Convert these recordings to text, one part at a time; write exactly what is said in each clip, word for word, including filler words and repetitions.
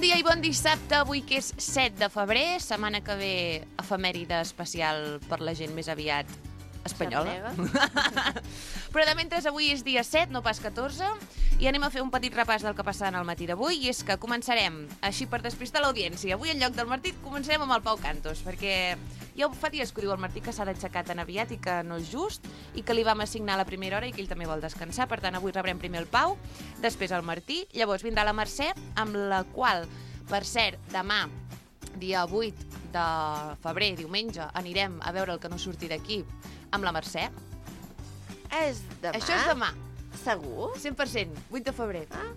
dia i bon dissabte, avui que és set de febrer, setmana que ve efemèride especial per la gent més aviat espanyola. Però de mentre avui és dia set, no pas catorze, i anem a fer un petit repàs del que passarà en el matí d'avui, i és que començarem, així per despistar l'audiència, avui en lloc del Martí començarem amb el Pau Cantos, perquè ja fa dies que diu el Martí que s'ha d'aixecar tan aviat i que no és just, i que li vam assignar a la primera hora i que ell també vol descansar, per tant avui rebrem primer el Pau, després el Martí, llavors vindrà la Mercè, amb la qual, per cert, demà, dia vuit de febrer, diumenge, anirem a veure el que no surti d'aquí amb la Mercè. És demà? Això és demà. Segur? cent per cent, vuit de febrer. Ah.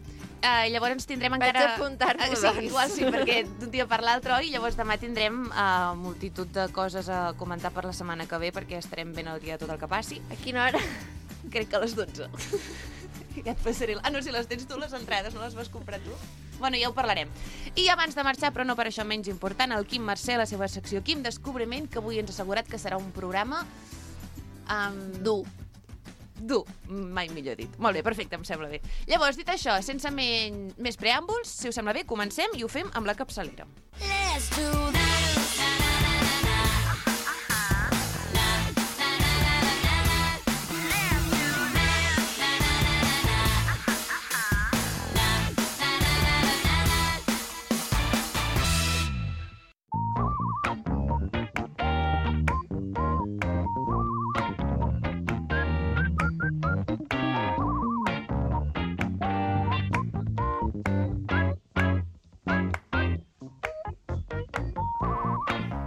Uh, llavors tindrem Vaig encara... apuntar-m'ho, uh, sí, doncs. igual sí, perquè d'un dia per l'altre, oi? Llavors demà tindrem uh, multitud de coses a comentar per la setmana que ve, perquè estarem ben al dia de tot el que passi. A quina hora? Crec que a les dotze. Ja et passaré... Ah, no, si les tens tu, les entrades, no les vas comprar tu? Bueno, ja ho parlarem. I abans de marxar, però no per això menys important, el Quim Mercè, la seva secció Quim Descobriment, que avui ens ha assegurat que serà un programa... Um, Dur. Dur, mai millor dit. Molt bé, perfecte, em sembla bé. Llavors, dit això, sense men... més preàmbuls, si us sembla bé, comencem i ho fem amb la capçalera. Let's do this.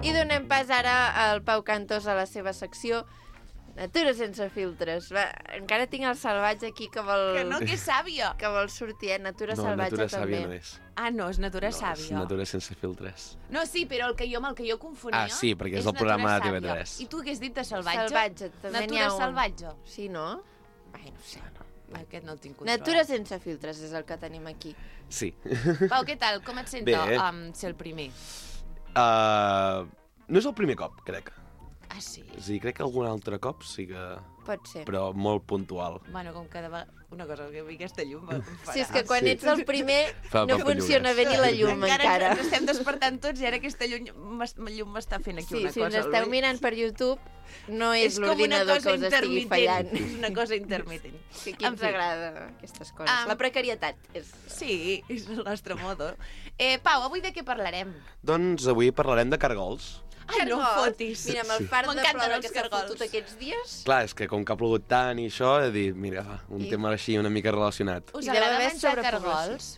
I donem pas ara al Pau Cantos a la seva secció Natura sense filtres. Va, encara tinc el salvatge aquí que vol... Que no, que és sàvia. Que vol sortir, eh? Natura No, salvatge natura també. sàvia no és. Ah, no, és natura No, és sàvia. natura sense filtres. No, sí, però el que jo, amb el que jo confonia... Ah, sí, perquè és el Natura programa de T V Sàvia. tres. I tu hagués dit de salvatge? Salvatge, també n'hi Natura ha un. salvatge. Sí, no? Ai, no sé. Aquest no el tinc controlat. Natura sense filtres és el que tenim aquí. Sí. Pau, què tal? Com et sento Bé. um, ser el primer? Uh, no és el primer cop, crec. Ah, sí? És a dir, crec que algun altre cop sí que... Pot ser. Però molt puntual. Bueno, com cada vegada... Una cosa, que a mi aquesta llum em farà... Si és que quan sí. ets el primer Fa no papallones. funciona bé ni la llum encara. Ens estem despertant tots i ara aquesta llum m'es- llum m'està fent aquí Sí, una si cosa. ens esteu Ui. mirant per YouTube, no és, És com una l'ordinador cosa que us estigui intermitent. fallant. És una cosa intermitent. Que aquí En ens fi. agrada aquestes coses. Am- La precarietat és... Sí, és el nostre modo. Eh, Pau, avui de què parlarem? Doncs avui parlarem de cargols. Ai, no em Cargols. fotis. Mira, amb el fart de M'encanten plora els que s'ha cargols. fotut aquests dies... Clar, és que com que ha plogut tant i això, he dit, mira, va, un I- tema així una mica relacionat. Us I deu agrada haver menjar sobrepoblació. cargols?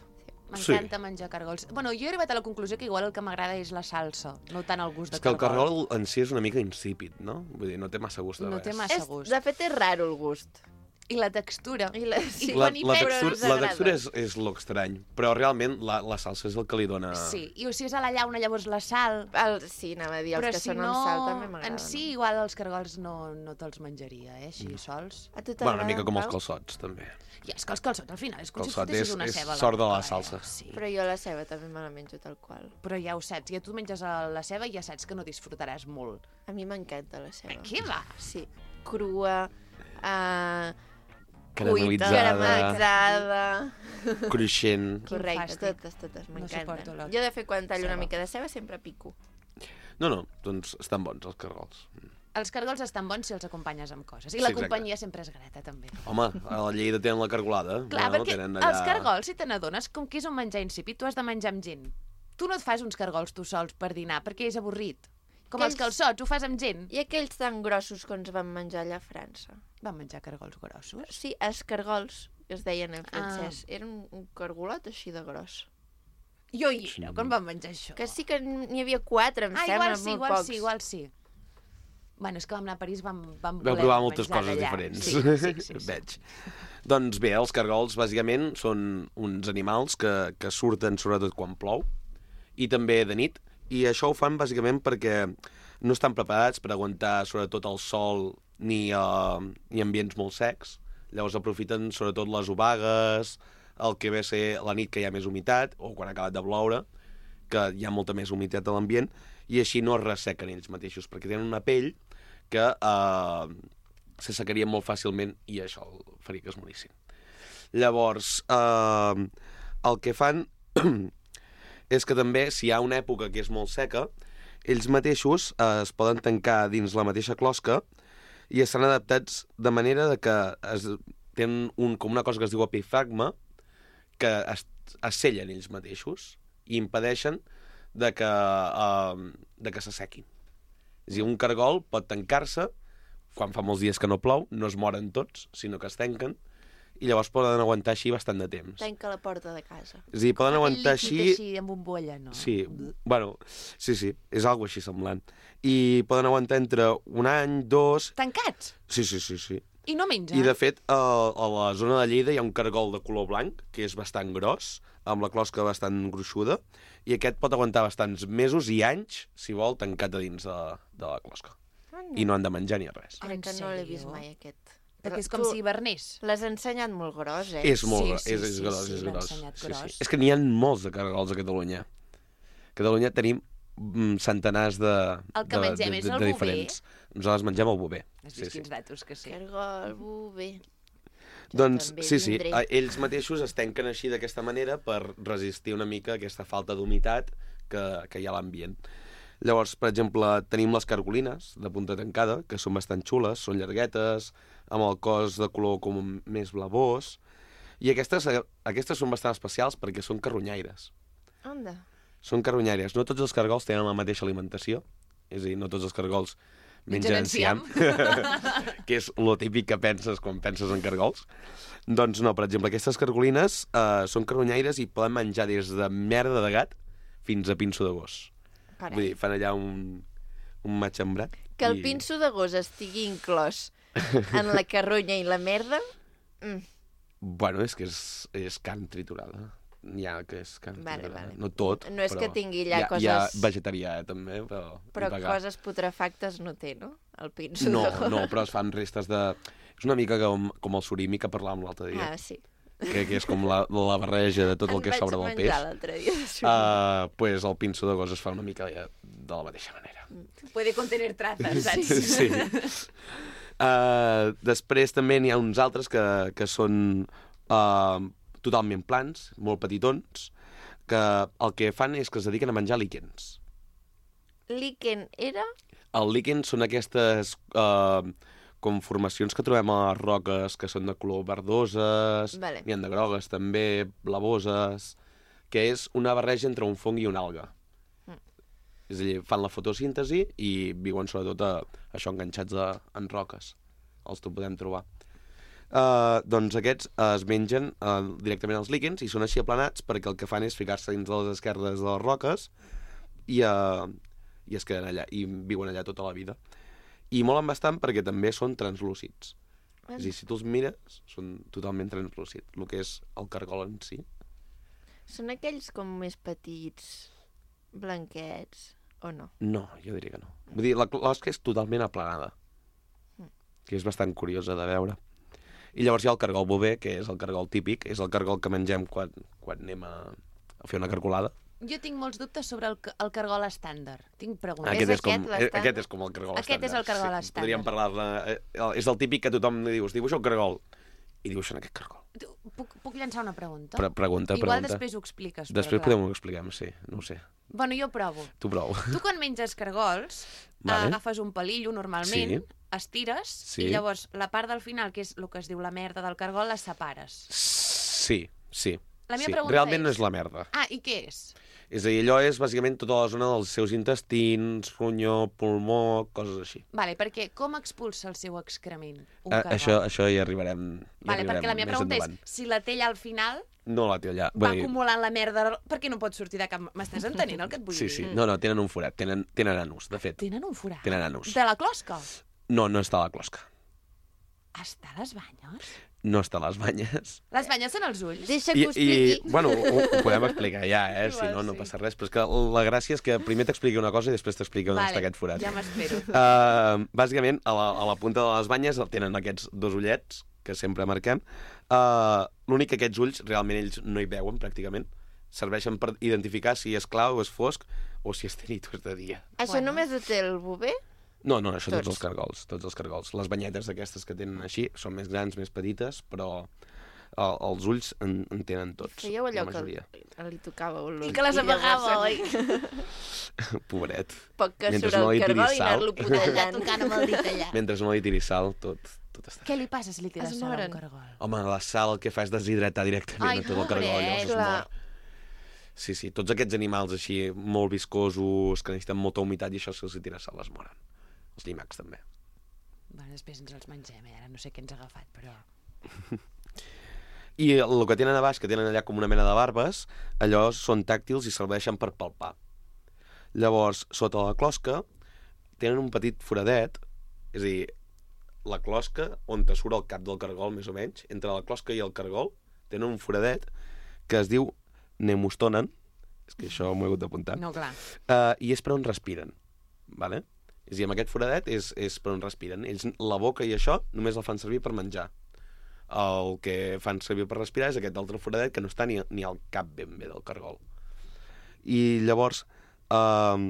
Sí. M'encanta menjar cargols. Bueno, jo he arribat a la conclusió que igual el que m'agrada és la salsa, no tant el gust de És que el cargol. cargol en si és una mica insípid, no? Vull dir, no té massa gust de No res. té massa És, gust. de fet, és raro el gust. I la textura. I la, sí. I La, quan hi la, penses, textura, ens la agrada. textura és, és l'estrany, però realment la, la salsa és el que li dona... Sí, i o si és a la llauna, llavors la sal... El, sí, anava a dir, els Però que si són no, amb sal també m'agraden. en si, igual els cargols no, no te'ls menjaria, eh, així, sols. A tu Bueno, una mica com els Pau? calçots, també. I és que els calçots, al final, és com Calçot si fotessis és- una és ceba. a sort de la boca, salsa. Eh? Sí. Però jo la ceba també me la menjo tal qual. Però ja ho saps, ja tu menges a la ceba i ja saps que no disfrutaràs molt. A mi m'encanta la ceba. Què va? Sí, crua, uh, Caramelitzada, caramelitzada... cruixent... Correcte, fàstic. totes, totes, No m'encanten. suporto la jo, de fet, quan tallo ceba. una mica de ceba, sempre pico. No, no, doncs estan bons els cargols. Els cargols estan bons si els acompanyes amb coses. I Sí, la exacte. companyia sempre és grata, també. Home, a la Lleida tenen la cargolada. Clar, no? perquè Tenen els cargols, si te n'adones, com que és un menjar insípid, tu has de menjar amb gent. Tu no et fas uns cargols tu sols per dinar, perquè és avorrit. Com els Aquells- calçots, ho fas amb gent. I aquells tan grossos que ens vam menjar allà a França. Van menjar cargols grossos? Sí, escargols, que es deien en Ah. francès. Era un, un cargolot així de gros. Jo hi era, quan van menjar això. Que sí que n'hi havia quatre, em Ah, sembla, igual sí, molt igual pocs. sí, igual sí. Bueno, és que vam anar a París, vam, vam Vau voler provar moltes menjar coses d'allà. diferents. Sí, sí, sí, sí. Veig. Doncs bé, els cargols bàsicament són uns animals que, que surten sobretot quan plou i també de nit, i això ho fan bàsicament perquè no estan preparats per aguantar sobretot el sol ni, uh, ni ambients molt secs. Llavors aprofiten sobretot les obagues, el que ve a ser la nit que hi ha més humitat, o quan ha acabat de ploure, que hi ha molta més humitat a l'ambient, i així no es ressequen ells mateixos, perquè tenen una pell que eh, s'assecarien molt fàcilment i això faria que es morissin. Llavors, eh, el que fan és que també, si hi ha una època que és molt seca, ells mateixos eh, es poden tancar dins la mateixa closca i estan adaptats de manera de que es, tenen un, com una cosa que es diu epifragma, que es, es sellen ells mateixos i impedeixen de que, uh, de que s'assequin. És a dir, un cargol pot tancar-se, quan fa molts dies que no plou, no es moren tots, sinó que es tanquen, i llavors poden aguantar així bastant de temps. Tanca la porta de casa. És a dir, poden aguantar així... així amb bombolla, no? Sí, bueno, sí, sí, és algo així semblant. I poden aguantar entre un any, dos... Tancats? Sí, sí, sí, sí. I no mengen? I, de fet, a, a la zona de Lleida hi ha un cargol de color blanc, que és bastant gros, amb la closca bastant gruixuda, i aquest pot aguantar bastants mesos i anys, si vol, tancat a dins de, de la closca. Ah, no. I no han de menjar ni res. Crec que En no l'he sèrio? vist mai, aquest. Perquè és com Tu si hivernés. L'has ensenyat molt gros, eh? És molt Sí, gros, sí, és, és sí, gros, sí, és l'ha gros. ensenyat Sí, gros. sí. És que n'hi ha molts de cargols a Catalunya. A Catalunya tenim mm, centenars de, El que de, mengem de, és de, el de bover? diferents. Nosaltres mengem el bover. Has Sí, vist sí. quins datos que sí. Cargol, bover... Doncs també sí, sí, vindré. eh, ells mateixos es tanquen així d'aquesta manera per resistir una mica aquesta falta d'humitat que, que hi ha a l'ambient. Llavors, per exemple, tenim les cargolines de punta tancada, que són bastant xules, són llarguetes, amb el cos de color com més blavós, i aquestes, eh, aquestes són bastant especials perquè són carronyaires. Onda. Són carronyaires. No tots els cargols tenen la mateixa alimentació, és a dir, no tots els cargols mengen Mengen enciam, que és lo típic que penses quan penses en cargols. Doncs no, per exemple, aquestes cargolines eh, són carronyaires i poden menjar des de merda de gat fins a pinso de gos. Carai. Vull dir, fan allà un, un matxembrat. Que el i- pinso de gos estigui inclòs en la carronya i la merda... Mm. Bueno, és que és, és carn triturada. N'hi ha que és carn Vale, triturada. vale. No tot, No és però... que tingui allà hi ha, coses- Hi ha vegetarià, eh, també, però... Però i vegà. coses putrefactes no té, no? El pinso No, de gos. no, però es fan restes de... És una mica com, com el surimi que parlàvem l'altre dia, Ah, sí. que, que és com la, la barreja de tot el que sobra del Em peix. vaig menjar l'altre dia de surimi. Uh, pues el pinso de gos es fa una mica de, de la mateixa manera. Puede contener trazas, saps? Sí. Uh, després també n'hi ha uns altres que, que són uh, totalment plans, molt petitons, que el que fan és que es dediquen a menjar líquens. Líquen era... El líquen són aquestes uh, com formacions que trobem a les roques que són de color verdoses, Vale. n'hi ha de grogues també, blavoses, que és una barreja entre un fong i una alga. Mm. És a dir, fan la fotosíntesi i viuen sobretot a, això enganxats a, en roques. Els ho podem trobar. Uh, doncs aquests uh, es mengen uh, directament als líquens i són així aplanats perquè el que fan és ficar-se dins de les esquerdes de les roques i, uh, i es queden allà, i viuen allà tota la vida. I molen bastant perquè també són translúcids. És a dir, si tu els mires, són totalment translúcids, el que és el cargol en si. Són aquells com més petits, blanquets, o no? No, jo diria que no. Vull dir, la closca és totalment aplanada, que és bastant curiosa de veure. I llavors hi ha el cargol bover, que és el cargol típic, és el cargol que mengem quan, quan anem a, a fer una cargolada. Jo tinc molts dubtes sobre el, ca- el cargol estàndard. Tinc preguntes. Aquest és, aquest com, l'estàndard? eh, aquest és com el cargol Aquest és el cargol sí, estàndard. Podríem parlar-ne... Eh, és el típic que tothom li dius, dibuixa un cargol, i dibuixen aquest cargol. Tu, Puc, puc llançar una pregunta? Pre pregunta, Igual pregunta. després ho expliques. Després però clar. podem ho explicar, sí, no ho sé. Bueno, jo provo. Tu prou. Tu quan menges cargols, Vale. agafes un palillo normalment, Sí. estires, Sí. i llavors la part del final, que és el que es diu la merda del cargol, la separes. Sí, sí. La meva sí. pregunta Realment no és- és la merda. Ah, i què és? És a dir, allò és bàsicament tota la zona dels seus intestins, ronyó, pulmó, coses així. Vale, perquè com expulsa el seu excrement un A, cargol? això, això hi arribarem, hi Vale, arribarem perquè la meva més pregunta endavant. és, si la té allà al final, No la té allà. va Vull dir, acumulant la merda, per què no pot sortir de cap... M'estàs entenent el que et vull sí, dir? sí. No, no, tenen un forat, tenen, tenen anus, de fet. Tenen un forat? Tenen anus. De la closca? No, no està a la closca. Està a les banyes? No està a les banyes. Les banyes són els ulls? Deixa I, que ho i expliqui. bueno, ho, ho podem explicar ja, eh? Si Igual no, no sí. passa res. Però és que la gràcia és que primer t'expliqui una cosa i després t'expliqui on Vale, està aquest forat. ja m'espero. Uh, bàsicament, a la, a la punta de les banyes tenen aquests dos ullets que sempre marquem. Uh, L'únic que aquests ulls, realment ells no hi veuen pràcticament. Serveixen per identificar si és clar o és fosc o si és de nit o és de dia. Això Bueno. només ho té el bover? No, no, això tots, Tots. els cargols, tots els cargols. Les banyetes d'aquestes que tenen així són més grans, més petites, però el, els ulls en, en tenen tots, Fèieu allò la majoria. que li tocava un I que les amagava, oi? Pobret. Poc que Mentre surt no el li cargol tiris i anar-lo sal. putellant. Tocant amb el dit allà. Mentre no li tiri sal, tot, tot està... Què li passa si li tires Es sal a moren. un cargol? Home, la sal el que fa és deshidratar directament Ai, a tot el cargol, llavors es clar. mor. Sí, sí, tots aquests animals així molt viscosos, que necessiten molta humitat i això si els hi tira sal es moren. Els llimacs també. Bueno, després ens els mengem, eh? Ara no sé què ens ha agafat, però... I el que tenen a baix, que tenen allà com una mena de barbes, allò són tàctils i serveixen per palpar. Llavors, sota la closca, tenen un petit foradet, és a dir, la closca, on te surt el cap del cargol, més o menys, entre la closca i el cargol, tenen un foradet que es diu nemustonen, és que això m'ho he hagut d'apuntar, No, clar. uh, i és per on respiren, vale? És a dir, amb aquest foradet és, és per on respiren. Ells, la boca i això, només la fan servir per menjar. El que fan servir per respirar és aquest altre foradet que no està ni, ni al cap ben bé del cargol. I llavors, uh,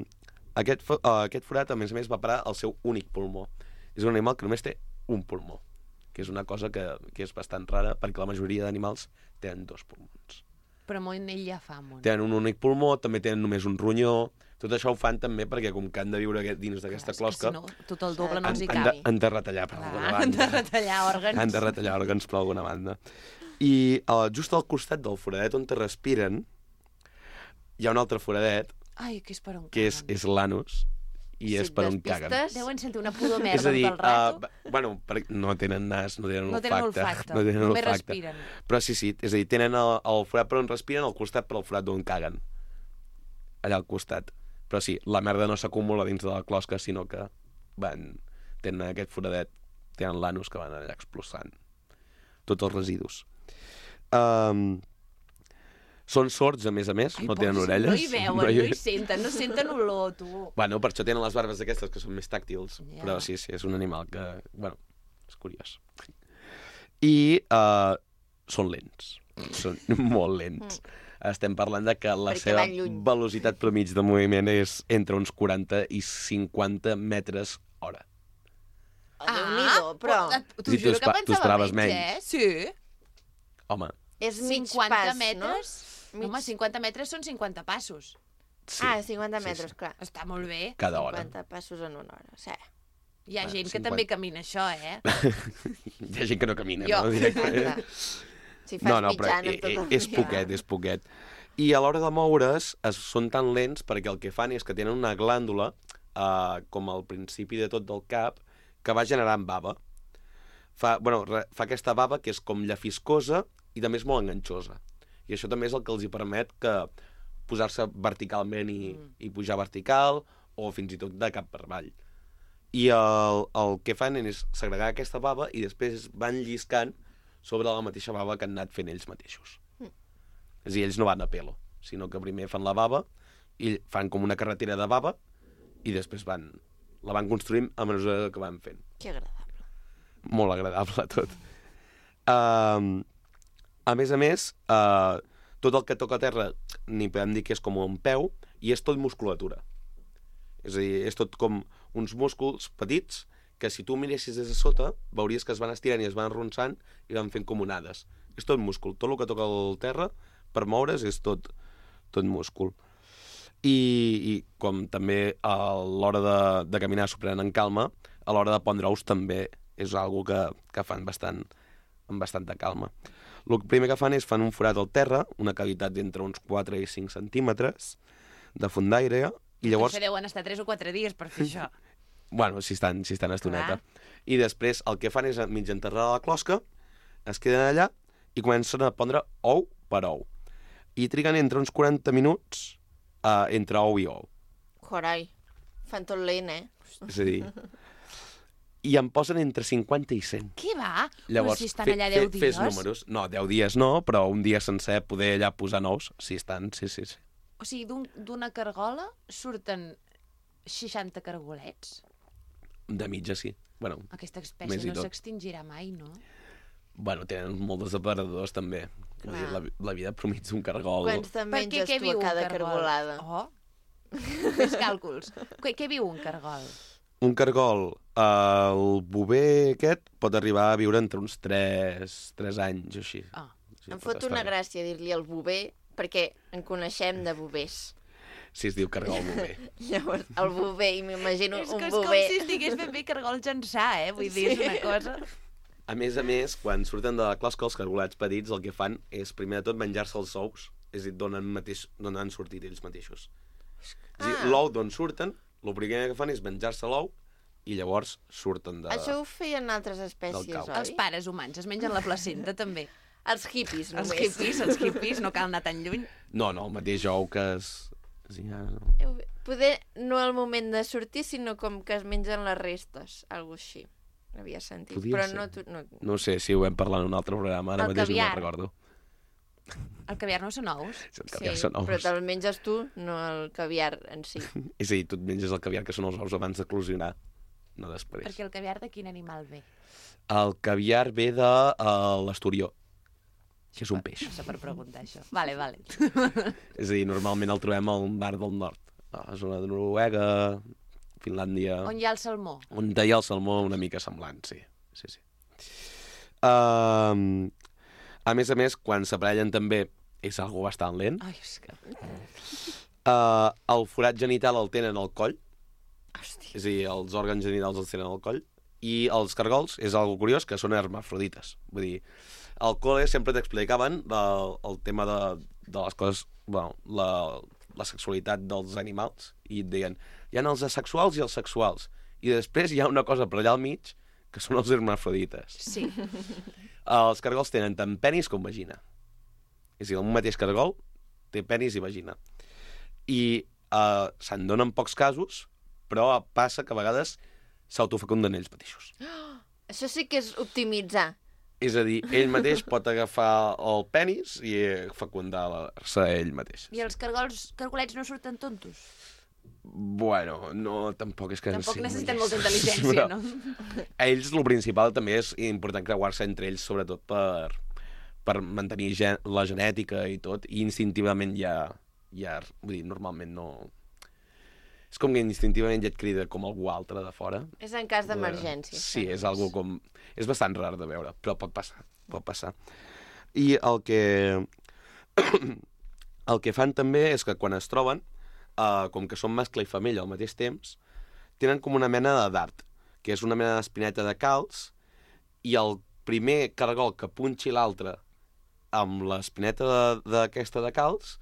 aquest, fo- uh, aquest forat, a més a més, va parar al seu únic pulmó. És un animal que només té un pulmó, que és una cosa que, que és bastant rara, perquè la majoria d'animals tenen dos pulmons. Però molt ell ja fa molt. Tenen un únic pulmó, també tenen només un ronyó. Tot això ho fan també perquè, com que han de viure aquest- dins d'aquesta closca, Si no, tot el doble no han, els hi han, de, cabi. han de retallar per Clar, alguna han de banda. retallar òrgans. Han de retallar òrgans per alguna banda. I uh, just al costat del foradet on te respiren hi ha un altre foradet, Ai, que és per on que és, caguen. és l'anus, i Si és et per on despistes, caguen. Deuen sentir una pudor És merda a dir, tot el rato. uh, bueno, per, no tenen nas, no tenen no olfacte. tenen olfacte, no tenen només olfacte. respiren. Però sí, sí, és a dir, tenen el, el forat per on respiren, al costat per al forat d'on caguen. Allà al costat. Però sí, la merda no s'acumula dins de la closca, sinó que van... tenen aquest foradet, tenen l'anus que van allà expulsant tots els residus. Um, són sords, a més a més, Ai, no tenen pobres, orelles. No hi veuen, no hi senten, no senten olor, tu. Bueno, per això tenen les barbes aquestes, que són més tàctils. Ja. Però sí, sí, és un animal que... Bueno, és curiós. I uh, són lents. Són molt lents. Estem parlant de que la Perquè seva van lluny. velocitat promig de moviment és entre uns quaranta i cinquanta metres hora. Oh, Déu-n'hi-do, però T'ho Sí, tu juro espa- que tu pensava esperaves menys, menys. eh? Sí. Home, és mig cinquanta pas, metres? no? Home, cinquanta metres són cinquanta passos. sí. Ah, cinquanta Sí, metres, sí. clar. Està molt bé. Cada hora. cinquanta passos en una hora, sí. Hi ha Ah, gent que cinquanta. també camina això, eh? Hi ha gent que no camina, Jo. no? Directament. Exacte. Si fas No, no, però mitjana e- tot e- el és dia. poquet, és poquet. I a l'hora de moure's es, són tan lents perquè el que fan és que tenen una glàndula, eh, com al principi de tot del cap, que va generant bava. Fa, bueno, re, fa aquesta bava que és com llafiscosa i també és molt enganxosa. I això també és el que els hi permet que posar-se verticalment i, mm. i pujar vertical, o fins i tot de cap per avall. I el, el que fan és segregar aquesta bava i després van lliscant sobre la mateixa bava que han anat fent ells mateixos. Mm. És a dir, ells no van a pelo, sinó que primer fan la bava i fan com una carretera de bava i després van, la van construint a mesura que van fent. Que agradable. Molt agradable tot. Uh, a més a més, uh, tot el que toca a terra n'hi podem dir que és com un peu i és tot musculatura. És a dir, és tot com uns músculs petits que si tu miressis des de sota veuries que es van estirant i es van arronsant i van fent com onades. És tot múscul. Tot el que toca al terra per moure's és tot, tot múscul. I, i com també a l'hora de, de caminar s'ho prenen en calma, a l'hora de pondre ous també és algo que, que fan bastant, amb bastanta calma. El primer que fan és fan un forat al terra, una cavitat d'entre uns quatre i cinc centímetres de font d'aire, i llavors... Potser deuen estar tres o quatre dies per fer això. Bueno, si estan, si estan estoneta. Clar. I després el que fan és mig enterrar la closca, es queden allà i comencen a pondre ou per ou. I triguen entre uns quaranta minuts uh, entre ou i ou. Carai, fan tot lent, eh? És a dir... I en posen entre cinquanta i cent. Què va? Llavors, però si estan fe- allà fe- deu dies... Fes números. No, deu dies no, però un dia sencer poder allà posar nous, si estan, sí, sí, sí. O sigui, d'un- d'una cargola surten seixanta cargolets? De mitja, sí. Bueno, Aquesta Més espècie i no tot. s'extingirà mai, no? bueno, tenen molts depredadors, també. Vull dir, Clar. la, la vida promig d'un cargol... Quants te'n Per què, menges què tu viu a cada un cargol? cargolada? Oh, fes càlculs. Què, què viu un cargol? Un cargol, eh, el bover aquest pot arribar a viure entre uns tres anys o així. Ah, Sí, em pot fot estar una bé. gràcia dir-li el bover, perquè en coneixem de bovers. Sí, es diu cargol bover. Llavors, el bover, i m'imagino És un que és com bover. si estigués ben bé cargol llançar, eh? Vull dir, és una cosa... A més a més, quan surten de la closca, els cargolats petits el que fan és, primer de tot, menjar-se els ous. És a dir, d'on han, mateix, d'on han sortit ells mateixos. És a dir, Ah. l'ou d'on surten, el primer que fan és menjar-se l'ou i llavors surten de... Això ho feien altres espècies, cau. oi? Els pares humans es mengen la placenta, també. Els hippies, Els només. hippies, els hippies, no cal anar tan lluny. No, no, el mateix ou que es... Sí, ja... Poder no al moment de sortir, sinó com que es mengen les restes, algo així. Havia sentit. Podria Però ser. no, tu, no... No sé si ho hem parlat en un altre programa, ara El mateix caviar. no me'n recordo. El caviar no són ous. Si el caviar són ous. però te'l menges tu, no el caviar en si. És a dir, tu et menges el caviar, que són els ous abans d'eclosionar, no després. Perquè el caviar de quin animal ve? El caviar ve de uh, l'esturió, que és un peix. No sé per preguntar això. Vale, vale. És a dir, normalment el trobem al mar del nord, a la zona de Noruega, Finlàndia... On hi ha el salmó? On hi ha el salmó una mica semblant, sí. sí, sí. Uh, a més a més, quan s'aparellen també és algo bastant lent. Ai, és que... Uh, el forat genital el tenen al coll, Hòstia. és a dir, els òrgans genitals els tenen al coll, i els cargols, és algo curiós, que són hermafrodites. Vull dir, al col·le sempre t'explicaven el, el tema de, de les coses, bueno, la, la sexualitat dels animals, i et deien, hi ha els asexuals i els sexuals, i després hi ha una cosa per allà al mig, que són els hermafrodites. Sí. Els cargols tenen tant penis com vagina. És a dir, un mateix cargol té penis i vagina. I uh, se'n donen pocs casos, però passa que a vegades s'autofecunden ells mateixos. Això sí que és optimitzar. És a dir, ell mateix pot agafar el penis i fecundar-se ell mateix. I els cargols, cargolets no surten tontos? Bueno, no, tampoc és que... Tampoc sí, necessiten no molta intel·ligència, Però no? A ells, el principal també és important creuar-se entre ells, sobretot per, per mantenir gen la genètica i tot, i instintivament ja, ja... Vull dir, normalment no... És com que instintivament ja et crida com algú altre de fora. És en cas d'emergència. Sí, és algo com... És bastant rar de veure, però pot passar, pot passar. I el que... el que fan també és que quan es troben, uh, com que són mascle i femella al mateix temps, tenen com una mena de dart, que és una mena d'espineta de calç, i el primer cargol que punxi l'altre amb l'espineta d'aquesta de, de calç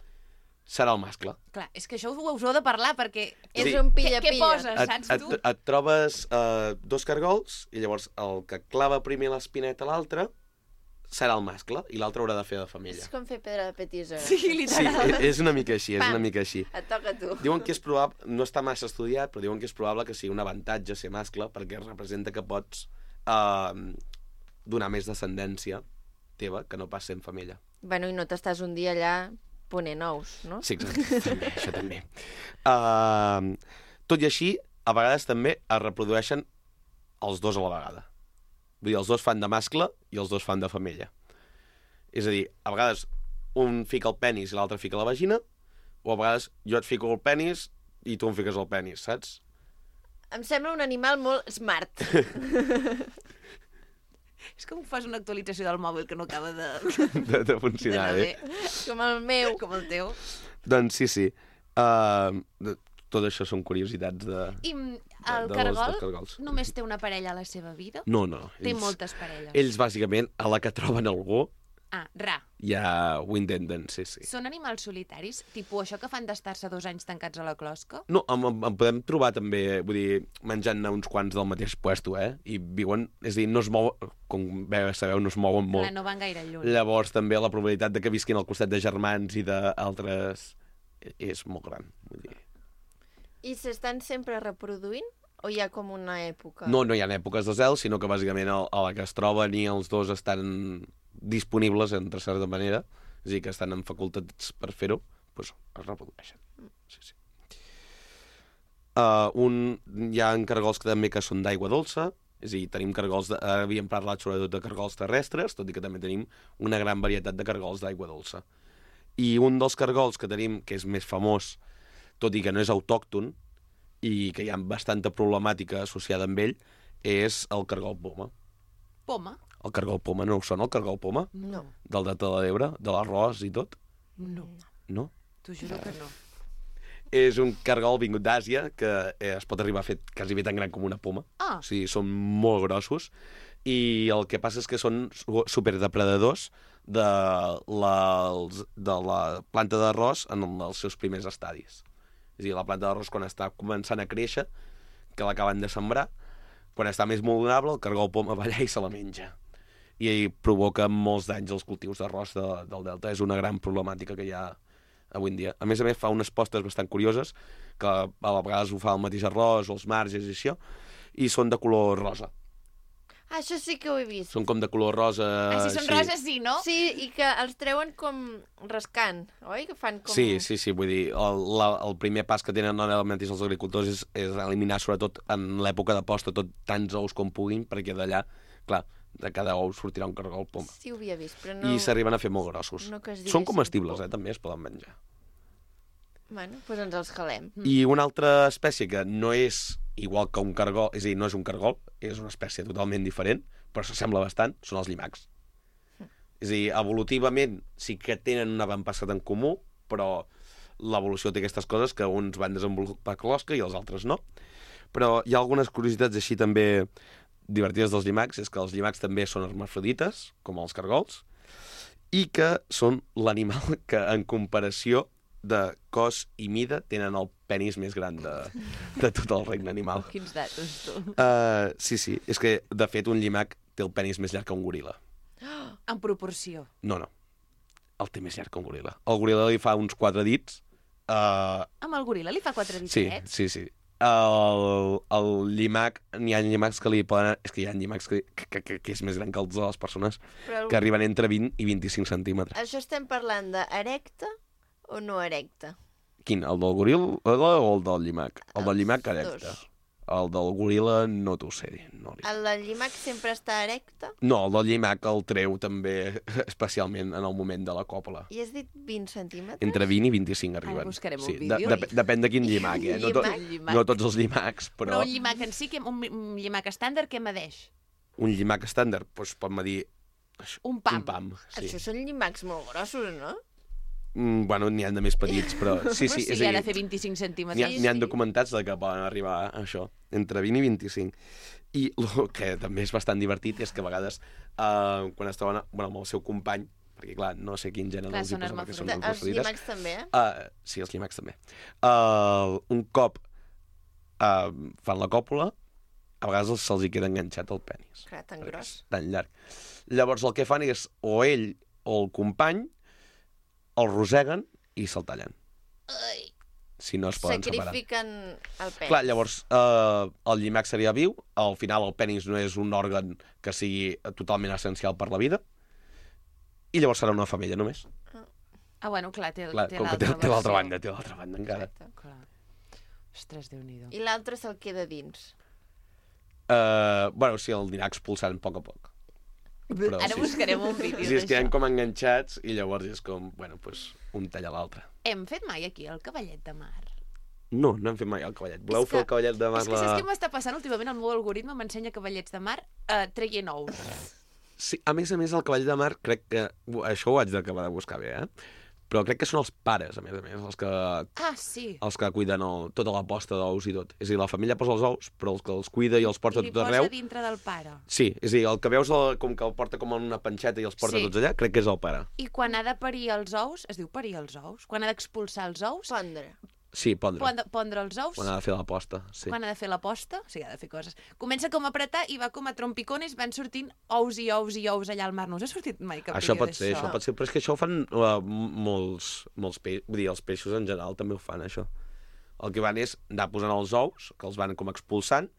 serà el mascle. Clar, és que això us ho heu de parlar, perquè... És Sí. un Què, què pilla-pilla. poses, Et, saps et, tu? et trobes uh, dos cargols i llavors el que clava primer l'espineta a l'altre serà el mascle i l'altre haurà de fer de femella. És com fer pedra de petisora. Sí, Sí, literal. e- és una mica així, és Pam. una mica així. Et toca a tu. Diuen que és probable, no està massa estudiat, però diuen que és probable que sigui un avantatge ser mascle perquè representa que pots uh, donar més descendència teva que no pas sent femella. Bueno, i no t'estàs un dia allà ponent ous, no? Sí, exacte, també, això també. Uh, tot i així, a vegades també es reprodueixen els dos a la vegada. Vull dir, els dos fan de mascle i els dos fan de femella. És a dir, a vegades un fica el penis i l'altre fica la vagina, o a vegades jo et fico el penis i tu em fiques el penis, saps? Em sembla un animal molt smart. És com fas una actualització del mòbil que no acaba de... De, de funcionar d'anar bé. Com el meu. Com el teu. Doncs sí, sí. Uh, de, tot això són curiositats de... I mm, de- el dels- cargol dels cargols. només té una parella a la seva vida? No, no. Té moltes parelles. Ells, bàsicament, a la que troben algú, Ah, ra. ja ho intenten, sí, sí. Són animals solitaris? Tipus això que fan d'estar-se dos anys tancats a la closca? No, en, en, en podem trobar també, vull dir, menjant-ne uns quants del mateix puesto, eh? I viuen, és a dir, no es mouen, com bé sabeu, no es mouen molt. Clar, no van gaire lluny. Llavors també la probabilitat de que visquin al costat de germans i d'altres és molt gran, vull dir. I s'estan sempre reproduint? O hi ha com una època? No, no hi ha èpoques de zel, sinó que bàsicament a, a la que es troben i els dos estan disponibles, entre certa manera, és a dir, que estan en facultats per fer-ho, doncs es reprodueixen. Sí, sí. Uh, un, hi ha cargols que també que són d'aigua dolça, és a dir, tenim cargols, de, ara havíem parlat sobretot de cargols terrestres, tot i que també tenim una gran varietat de cargols d'aigua dolça. I un dels cargols que tenim, que és més famós, tot i que no és autòcton, i que hi ha bastanta problemàtica associada amb ell, és el cargol poma. Poma? El cargol poma, no us sona el cargol poma? No. Del Delta de l'Ebre, de l'arròs i tot? No, No? t'ho juro que no. És un cargol vingut d'Àsia que eh, es pot arribar a fer quasi bé tan gran com una poma. Ah. O sigui, són molt grossos. I el que passa és que són su- superdepredadors de la, els- de la planta d'arròs en els seus primers estadis. És a dir, la planta d'arròs quan està començant a créixer, que l'acaben de sembrar, quan està més vulnerable, el cargol poma va allà i se la menja. I provoca molts danys als cultius d'arròs de, del delta. És una gran problemàtica que hi ha avui en dia. A més a més, fa unes postes bastant curioses, que a vegades ho fa el mateix arròs o els marges i això, i són de color rosa. Ah, això sí que ho he vist. Són com de color rosa... Ah, si són sí. roses, sí, no? Sí, i que els treuen com rascant, oi? Que fan com... Sí, sí, sí, vull dir, el, la, el primer pas que tenen ara mateix els agricultors és, és eliminar, sobretot en l'època de posta, tot tants ous com puguin, perquè d'allà, clar, de cada ou sortirà un cargol poma. Sí, ho havia vist, però no... I s'arriben a fer molt grossos. No que es Són diguessin comestibles, poma. eh, també es poden menjar. Bueno, doncs ens els calem. I una altra espècie que no és igual que un cargol, és a dir, no és un cargol, és una espècie totalment diferent, però s'assembla bastant, són els llimacs. És a dir, evolutivament sí que tenen un avantpassat en comú, però l'evolució té aquestes coses que uns van desenvolupar closca i els altres no. Però hi ha algunes curiositats així també divertides dels llimacs, és que els llimacs també són hermafrodites, com els cargols, i que són l'animal que, en comparació de cos i mida, tenen el penis més gran de, de tot el regne animal. Quins datos, tu. Uh, sí, sí. És que, de fet, un llimac té el penis més llarg que un goril·la. En proporció. No, no. El té més llarg que un goril·la. El goril·la li fa uns quatre dits. Uh, Amb el goril·la li fa quatre sí, ditets? sí, sí. El, el llimac, n'hi ha llimacs que li poden... És que hi ha llimacs que, que, que, que és més gran que els de les persones, Però el... que arriben entre vint i vint-i-cinc centímetres. Això estem parlant d'erecte o no erecte? Quin? El del goril·la o el del llimac? El del llimac Els erecte. dos. El del goril·la no t'ho sé dir. No, li... El del llimac sempre està erecte? no, el del llimac el treu també, especialment en el moment de la còpula. I has dit vint centímetres? Entre vint i vint-i-cinc arriben. Ara buscarem un sí, vídeo. de, de, depèn de quin llimac, eh? No, to, Llimac. no tots els llimacs, però... Però un llimac en si, que un, un llimac estàndard, què medeix? Un llimac estàndard doncs, pot medir... això, Un pam. Un pam, sí. Això són llimacs molt grossos, no? Mm, bueno, n'hi ha de més petits, però... Sí, sí, sí, és ha a de dir, fer vint-i-cinc n'hi ha, centímetres. n'hi ha documentats de que poden arribar a això, entre vint i vint-i-cinc. I el que també és bastant divertit és que a vegades, uh, quan es troben bueno, amb el seu company, perquè clar, no sé quin gènere Clar, els hi són posa perquè són hermafrodites. Els hermafrodites. llimacs també, eh? Uh, sí, els llimacs també. Uh, un cop uh, fan la còpula, a vegades se'ls hi queda enganxat el penis. Clar, tan perquè gros. és tan llarg. Llavors el que fan és o ell o el company el roseguen i se'l tallen. Ai, Si no es poden separar. sacrifiquen el pes. Clar, llavors eh, el llimac seria viu, al final el penis no és un òrgan que sigui totalment essencial per la vida, i llavors serà una femella només. Ah, bueno, clar, té, Clar, té com que té, l'altra té l'altra versió. banda, té l'altra banda encara. Exacte. Clar. Ostres, Déu-n'hi-do. I l'altre se'l queda dins. Uh, bueno, sí, el anirà expulsant a poc a poc. Però Ara sí. buscarem un vídeo Sí, es queden d'això. com enganxats i llavors és com, bueno, pues, un talla l'altre. Hem fet mai aquí el cavallet de mar. No, no hem fet mai el cavallet. Voleu És fer que- el cavallet de mar? És que saps què m'està passant últimament? El meu algoritme m'ensenya cavallets de mar eh, traient ous. Sí, a més a més, el cavall de mar, crec que... Això ho haig d'acabar de buscar bé, eh? Però crec que són els pares, a més a més, els que, Ah, sí. els que cuiden el, tota la posta d'ous i tot. És a dir, la família posa els ous, però els que els cuida i els porta I li tot posa arreu... dintre del pare. Sí, és a dir, el que veus el, com que el porta com en una panxeta i els porta Sí. tots allà, crec que és el pare. I quan ha de parir els ous, es diu parir els ous, quan ha d'expulsar els ous, Pondre. Sí, pondre. pon- pondre els ous, Quan ha de fer la posta, sí. quan ha de fer la posta, o sigui, ha de fer coses. Comença com a apretar i va com a trompicones, van sortint ous i ous i ous allà al mar. No us ha sortit mai cap Això vídeo pot ser, d'això? això pot ser, però és que això ho fan uh, molts, molts peixos, vull dir, els peixos en general també ho fan, això. El que van és anar posant els ous, que els van com expulsant,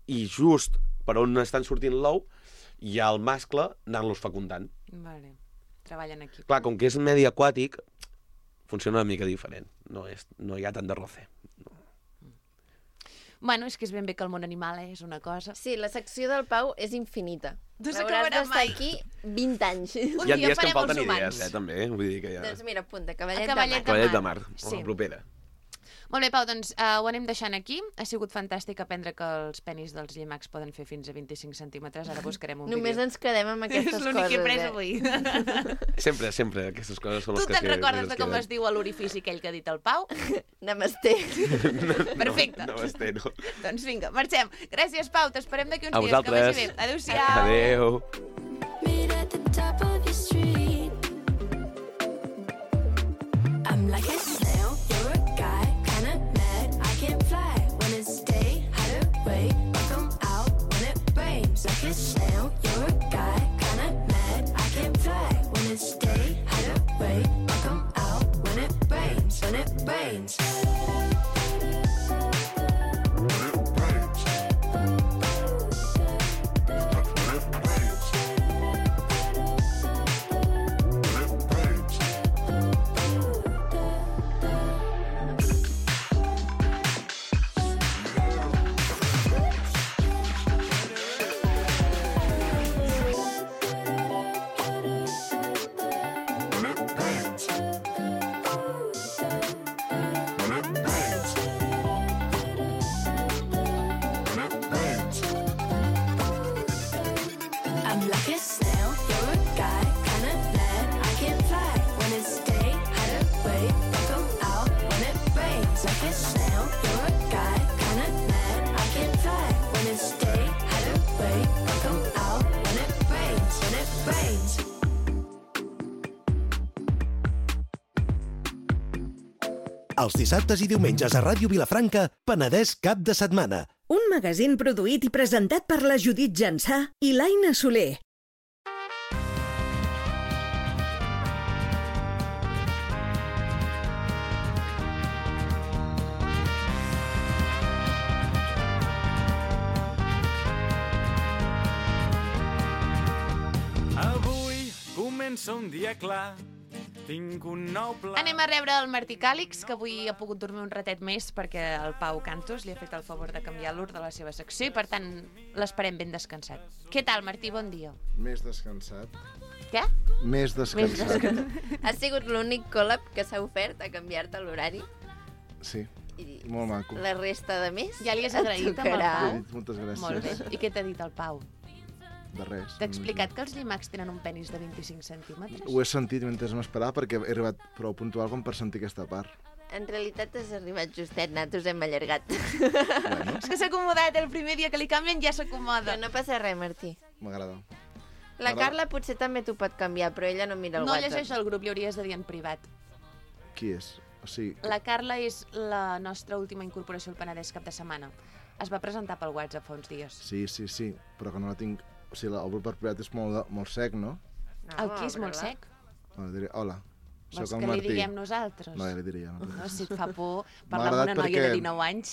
i just per on estan sortint l'ou, hi ha el mascle anant-los fecundant. Vale. Treballen aquí. Clar, com que és medi aquàtic, funciona una mica diferent. No, és, no hi ha tant de roce. Bueno, és que és ben bé que el món animal és una cosa. Sí, la secció del Pau és infinita. No L'hauràs s'acabarà d'estar mai. aquí vint anys. Un Hi ha dia dies que em farem falten els humans. idees, eh, també. Vull dir que ja... Doncs mira, apunta, cavallet, El cavallet de mar. Cavallet de mar. mar, Sí. la propera. Molt bé, Pau, doncs uh, ho anem deixant aquí. Ha sigut fantàstic aprendre que els penis dels llimacs poden fer fins a vint-i-cinc centímetres. Ara buscarem un Només vídeo. ens quedem amb aquestes És coses, l'únic que he pres eh? avui. Sempre, sempre, aquestes coses són Tu les que... te'n recordes de com es diu l'orifici aquell que ha dit el Pau? Namasté. Perfecte. No, no m'esté, no. Doncs vinga, marxem. Gràcies, Pau. T'esperem d'aquí uns A dies. Que vosaltres. vagi bé. Adéu-siau. Adéu. Meet at the top of your street. I'm like a snail, you're a guy, kinda mad. I can't fly when it's day, hide away, or come out when it rains. Like a snail, you're a guy, kinda mad. I can't fly when it's day, hide away, or come out when it rains. When it rains. I'm like a snail, you're a guy, kinda mad. I can't fly when it's day, hide away, or come out when it rains. Like a snail, you're a guy, kinda mad. I can't fly when it's day, hide away, or come out when it rains. When it rains. Els dissabtes i diumenges a Ràdio Vilafranca, Penedès cap de setmana. Un magazín produït i presentat per la Judit Jansà i l'Aina Soler. Avui comença un dia clar, tinc un nou pla. Anem a rebre el Martí Càlix, que avui ha pogut dormir un ratet més perquè el Pau Cantos li ha fet el favor de canviar l'ordre de la seva secció i, per tant, l'esperem ben descansat. Què tal, Martí? Bon dia. Més descansat. Què? Més descansat. Ha sigut l'únic col·lab que s'ha ofert a canviar-te l'horari. Sí, I molt maco. la resta de més Ja li has et agraït amb el tocarà. Pau? He dit moltes gràcies. Molt bé. I què t'ha dit el Pau? De res. T'ha explicat que els llimacs tenen un penis de vint-i-cinc centímetres? Ho he sentit mentre m'esperava perquè he arribat prou puntual com per sentir aquesta part. En realitat has arribat justet, nosaltres hem allargat. Bueno, És que s'ha acomodat, el primer dia que li canvien ja s'acomoda. Però no passa res, Martí. m'agrada. La Ara- Carla potser també t'ho pot canviar, però ella no mira el No WhatsApp. llegeix el grup, li hauries de dir en privat. Qui és? O sigui, La Carla és la nostra última incorporació al Penedès cap de setmana. Es va presentar pel WhatsApp fa uns dies. sí, sí, sí, però que no la tinc... O sigui, el grup per privat és molt, de- molt sec, no? No, El qui és molt obre-la. sec? Bueno, diré, hola, Vols soc que el li Martí. diguem nosaltres? No, ja li diria. No, No, si et fa por M'ha parlar amb una agradat noia perquè- de dinou anys.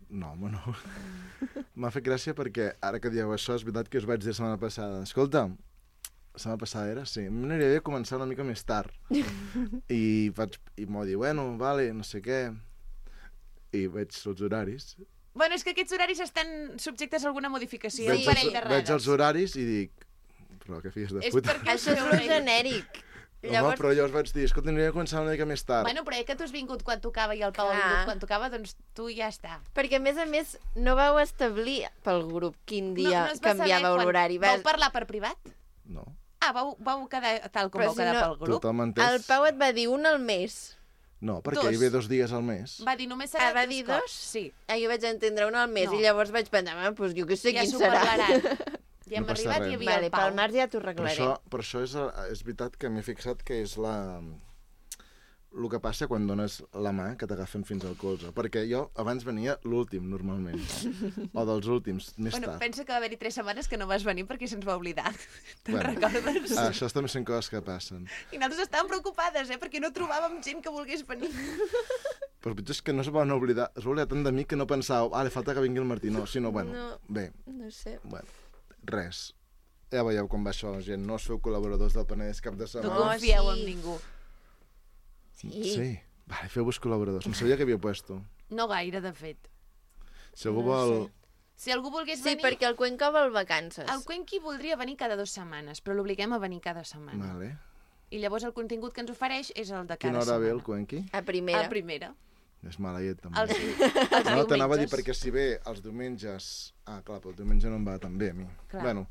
no, home, no. M'ha fet gràcia perquè ara que dieu això, és veritat que us vaig dir la setmana passada. Escolta, la setmana passada era? Sí. M'aniria bé començar una mica més tard. I vaig, i m'ho dir, bueno, vale, no sé què. I veig els horaris. Bueno, és que aquests horaris estan subjectes a alguna modificació. veig, un parell els, de veig rares. els horaris i dic, però que filles de És puta. perquè Això és lo genèric. Home, Llavors, però llavors vaig dir, escolta, aniria a començar una mica més tard. Bueno, però eh, que tu has vingut quan tocava i el Pau ha Clar. vingut quan tocava, doncs tu ja està. perquè a més a més no vau establir pel grup quin dia no, no es va saber canviàveu quan- l'horari. Vau Vas... parlar per privat? No, Ah, vau, vau quedar tal com Però vau si quedar no- pel grup? tothom entès. El Pau et va dir un al mes. No, perquè Dos. hi ve dos dies al mes. Va dir, només serà Ah, va dos dir cops. dos? Sí. Ah, jo vaig entendre un al mes No. i llavors vaig pensar, ah, doncs jo què sé Ja quin s'ho serà. parlaran. Ja hem No passa arribat res. i hi havia Vale, el Pau. pel març ja t'ho Per arreglaré. això, per això és, és veritat que m'he fixat que és la... el que passa quan dones la mà que t'agafen fins al colze. Perquè jo abans venia l'últim, normalment. O dels últims, més Bueno, tard. pensa que va haver-hi tres setmanes que no vas venir perquè se'ns va oblidar. Te'n Bueno, recordes? Això també són coses que passen. I nosaltres estàvem preocupades, eh? Perquè no trobàvem gent que volgués venir. Però el pitjor és que no es van oblidar. Es va oblidar tant de mi que no pensàveu, ah, li falta que vingui el Martí. No, sinó, bueno, No. bé, No sé. bueno, res. Ja veieu com va això, gent. No us feu col·laboradors del Penedès cap de No setmana. No, confieu sí. en ningú. Sí. Sí. Vale, feu-vos col·laboradors. No sabia que havia puesto. No gaire, de fet. Si algú No vol... sé. Si algú volgués Sí, venir... perquè el Cuenca vol vacances. El Cuenqui voldria venir cada dues setmanes, però l'obliguem a venir cada setmana. Vale. I llavors el contingut que ens ofereix és el de cada Quina hora setmana. ve el Cuenqui? A primera. A primera. És maleït, també. Els, els No, t'anava a dir diumenges. perquè si bé els diumenges... Ah, clar, però el diumenge no em va tan bé a mi. Clar. Bueno,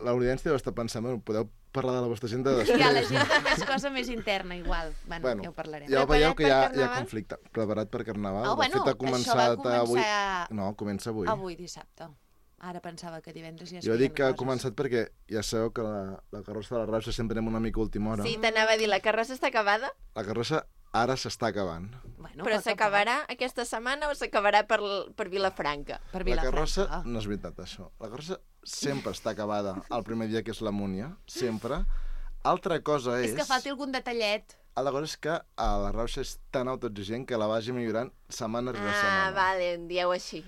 l'audiència deu estar pensant, bueno, podeu parlar de la vostra agenda després. Ja, la gent també és cosa més interna, igual. Bueno, Bueno, ja ho parlarem. ja veieu Preparat que hi ha, per hi ha Carnaval? conflicte. Preparat per Carnaval. Oh, bueno, de fet, ha això començat va començar... avui... No, comença avui. Avui, dissabte. Ara pensava que divendres ja es Jo feien dic que ha coses. començat perquè ja sabeu que la, la carrossa de la Rauxa sempre anem una mica a última hora. Sí, t'anava a dir, la carrossa està acabada? La carrossa ara s'està acabant. Bueno, Però poc a s'acabarà aquesta setmana o s'acabarà per, per Vilafranca? poc. Per La Vilafranca. carrossa, no és veritat això, la carrossa sempre està acabada el primer dia que és la Múnia, sempre. Altra cosa és... És que falti algun detallet. Altra cosa és que a la Rauxa és tan autoexigent que la vagi millorant setmana rere Ah, setmana. vale, en dieu així.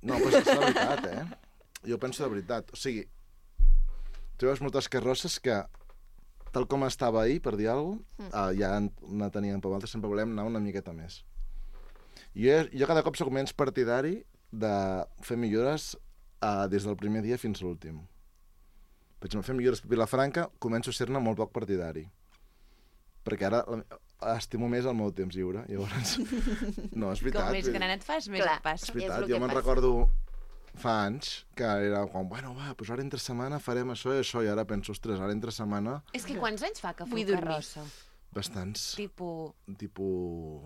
No, però és la veritat, eh? Jo penso de veritat. O sigui, tu veus moltes carrosses que, tal com estava ahir, per dir alguna cosa, Mm. uh, ja no teníem per altres, sempre volem anar una miqueta més. Jo, jo cada cop soc menys partidari de fer millores uh, des del primer dia fins a l'últim. Per exemple, fer millores per Vilafranca començo a ser-ne molt poc partidari. Perquè ara la- estimo més el meu temps lliure, llavors... No, és veritat. Com més vull dir- gran et fas, més Clar. et passa. és És veritat, el jo que me'n passa. recordo fa anys que era com, bueno, va, doncs ara entre setmana farem això i això, i ara penso, ostres, ara entre setmana, És que quants anys fa que Vull feu dormir. carrossa? bastants, Tipo... tipus...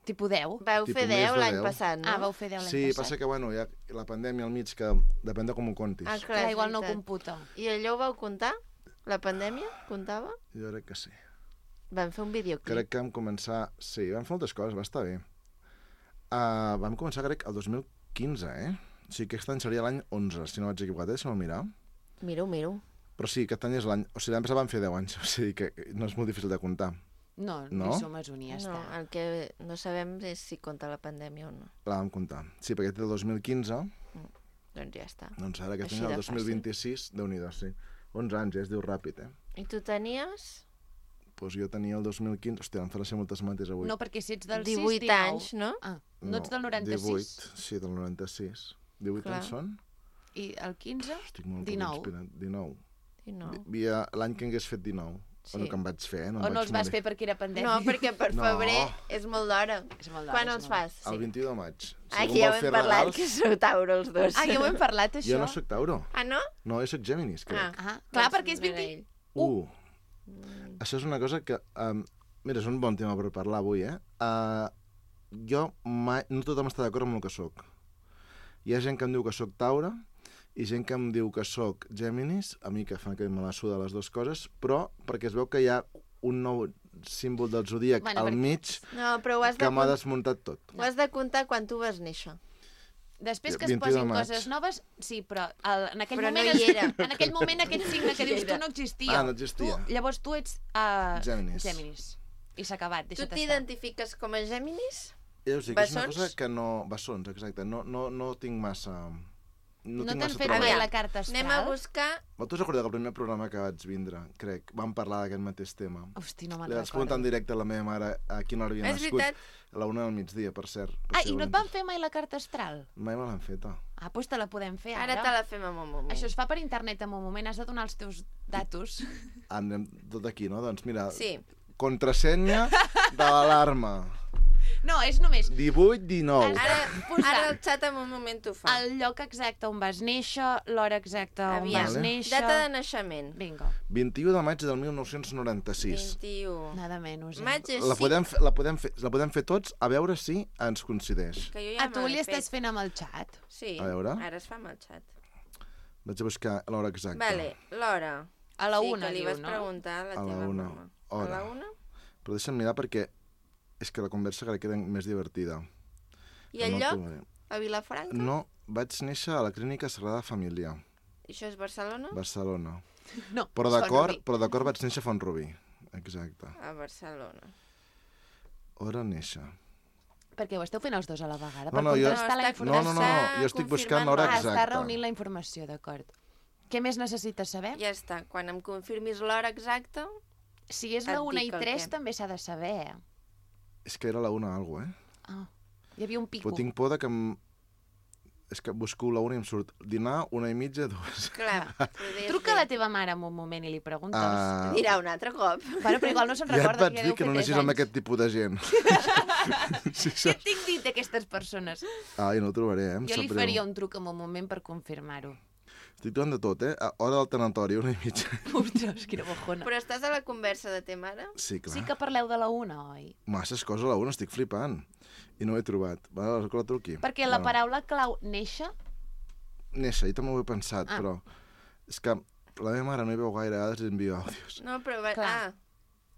Tipo deu? Vau Tipus fer més deu de l'any deu. passat, no? Ah, vau fer deu l'any Sí, passat. passa que, bueno, hi ha la pandèmia al mig, que depèn de com ho contis. Ah, Clar, clar, és igual no veritat. computa. I allò ho vau comptar? La pandèmia? Comptava? Jo crec que sí. Vam fer un videoclip. Crec que vam començar... Sí, vam fer moltes coses, va estar bé. Uh, vam començar, crec, el dos mil quinze, eh? O sigui, aquest any seria l'any onze, si no vaig equivocat, eh? Deixa'm mirar. Miro, miro. Però sí, aquest any és l'any... O sigui, l'any passat vam fer deu anys, o sigui que no és molt difícil de comptar. No, No? no? som a un i ja No, està. el que no sabem és si compta la pandèmia o no. La vam comptar. Sí, perquè aquest és el dos mil quinze, Doncs ja està. doncs ara aquest Així any de el dos mil vint-i-sis, déu-n'hi-do, sí. onze anys, eh? Es diu ràpid, eh? I tu tenies Doncs pues jo tenia el dos mil quinze... Hòstia, em farà ser moltes mates avui. No, perquè si ets del sis, divuit dinou. anys, no? Ah, no ets del noranta-sis? divuit, sí, del noranta-sis. divuit Clar. anys són? I el quinze? Estic molt poc dinou. inspirat. dinou. I no. Hi havia l'any que hagués fet dinou. Sí. Bueno, que em vaig fer, eh? No O em no vaig els vas morir. fer perquè era pandèmia? No, perquè per No. febrer és molt d'hora. És molt d'hora, Quan és els molt d'hora. fas? El vint-i-u de maig. Si Ah, algú que ja vol ho fer hem parlat, regals- que sou Tauro els dos. Ah, ja ho hem parlat, això? Jo no sóc Tauro. Ah, no? No, jo sóc Géminis, crec. Ah. Ah, clar, Doncs perquè és no era vint... ell. Uh. Això és una cosa que... Um, mira, és un bon tema per parlar avui, eh? Uh, jo mai... No tothom està d'acord amb el que sóc. Hi ha gent que em diu que sóc Taure i gent que em diu que sóc Géminis, a mi que fan que me la suda les dues coses, però perquè es veu que hi ha un nou símbol del zodíac Bueno, al perquè- mig No, però ho has, de que m'ha comptar, desmuntat tot. ho has de comptar quan tu vas néixer. Després que es vint-i-u de posin maig. coses noves, sí, però el, en aquell Però no moment... hi es- era. En aquell moment aquest signe que No hi dius tu era. no existia. Ah, no existia. Tu, llavors tu ets uh, Géminis. Géminis. I s'ha acabat, Tu deixa't estar. t'identifiques com a Géminis? Ja us dic, és una Bessons? cosa que no... Bessons, exacte. No, no, no tinc massa... No, No tinc t'han massa fet trobat. mai Aviam, la carta astral? Anem a buscar... Vosaltres recordeu que el primer programa que vaig vindre, crec, vam parlar d'aquest mateix tema. Hosti, no me'n Li vaig preguntar en recordo. directe a la meva mare a quina hora havia És nascut. veritat. A la una del migdia, per cert. Per Ah, si i no volem- et van fer mai la carta astral? Mai me l'han feta. Ah, doncs te la podem fer ara. Ara te la fem en un moment. Això es fa per internet en un moment, has de donar els teus datos. Anem tot aquí, no? Doncs mira, Sí. contrasenya de l'alarma. No, és només divuit dinou. Ara, posar ara el xat en un moment t'ho fa. el lloc exacte on vas néixer, l'hora exacta on Aviam. vas Vale. néixer... Data de naixement. Vinga, vint-i-u de maig del mil nou-cents noranta-sis. vint-i-u. nada menys. Eh? Maig és La sí, podem, fer, la, podem fer, la podem fer tots a veure si ens coincideix. que jo ja A tu me li l'he estàs fet. fent amb el xat? Sí, A veure. ara es fa amb el xat. Vaig a buscar l'hora exacta. Vale, l'hora. A la sí, una, que li diu, vas no? preguntar a la A la teva una. mama. Hora. A la una? Però deixa'm mirar perquè és que la conversa crec que era més divertida. I el No lloc? trobaré. A Vilafranca? No, vaig néixer a la Clínica Sagrada Família, Això és Barcelona? Barcelona. No, Però Font d'acord, Rubí. però d'acord vaig néixer a Font Rubí. Exacte. A Barcelona. Hora néixer. Perquè ho esteu fent els dos a la vegada, No, per no, jo- contrastar la No, No, informació. no, no, no, jo estic buscant l'hora Ah, exacta. està reunint la informació, d'acord. Què més necessites saber? Ja està. Quan em confirmis l'hora exacta... Si és Et la una i dic el tres, què. també s'ha de saber. És que era la una algo, eh? Ah, hi havia un pico. Però tinc por de que em... és que busco la una i em surt dinar, una i mitja, dues. Clar, Truca a la teva mare en un moment i li preguntes. Uh, Dirà un altre cop. Bueno, però igual no se'n ja et recorda vaig que ja dir deu que fer no tres aneixis amb anys. aquest tipus de gent. sí, Què et tinc dit d'aquestes persones? Ah, i no ho trobaré, eh? Em Jo li sap greu. faria un truc en un moment per confirmar-ho. Estic trobant de tot, eh? A hora del tanatori, una i mitja. Ostres, quina bojona. Però estàs a la conversa de te mare? Sí, clar. Sí que parleu de la una, oi? Masses coses a la una, estic flipant. I no ho he trobat. Va, que la truqui. Perquè la paraula clau néixer... Néixer, jo també ho he pensat, Ah. però... És que la meva mare no hi veu gaire, a vegades li envio àudios. No, però... Va... Clar. Ah,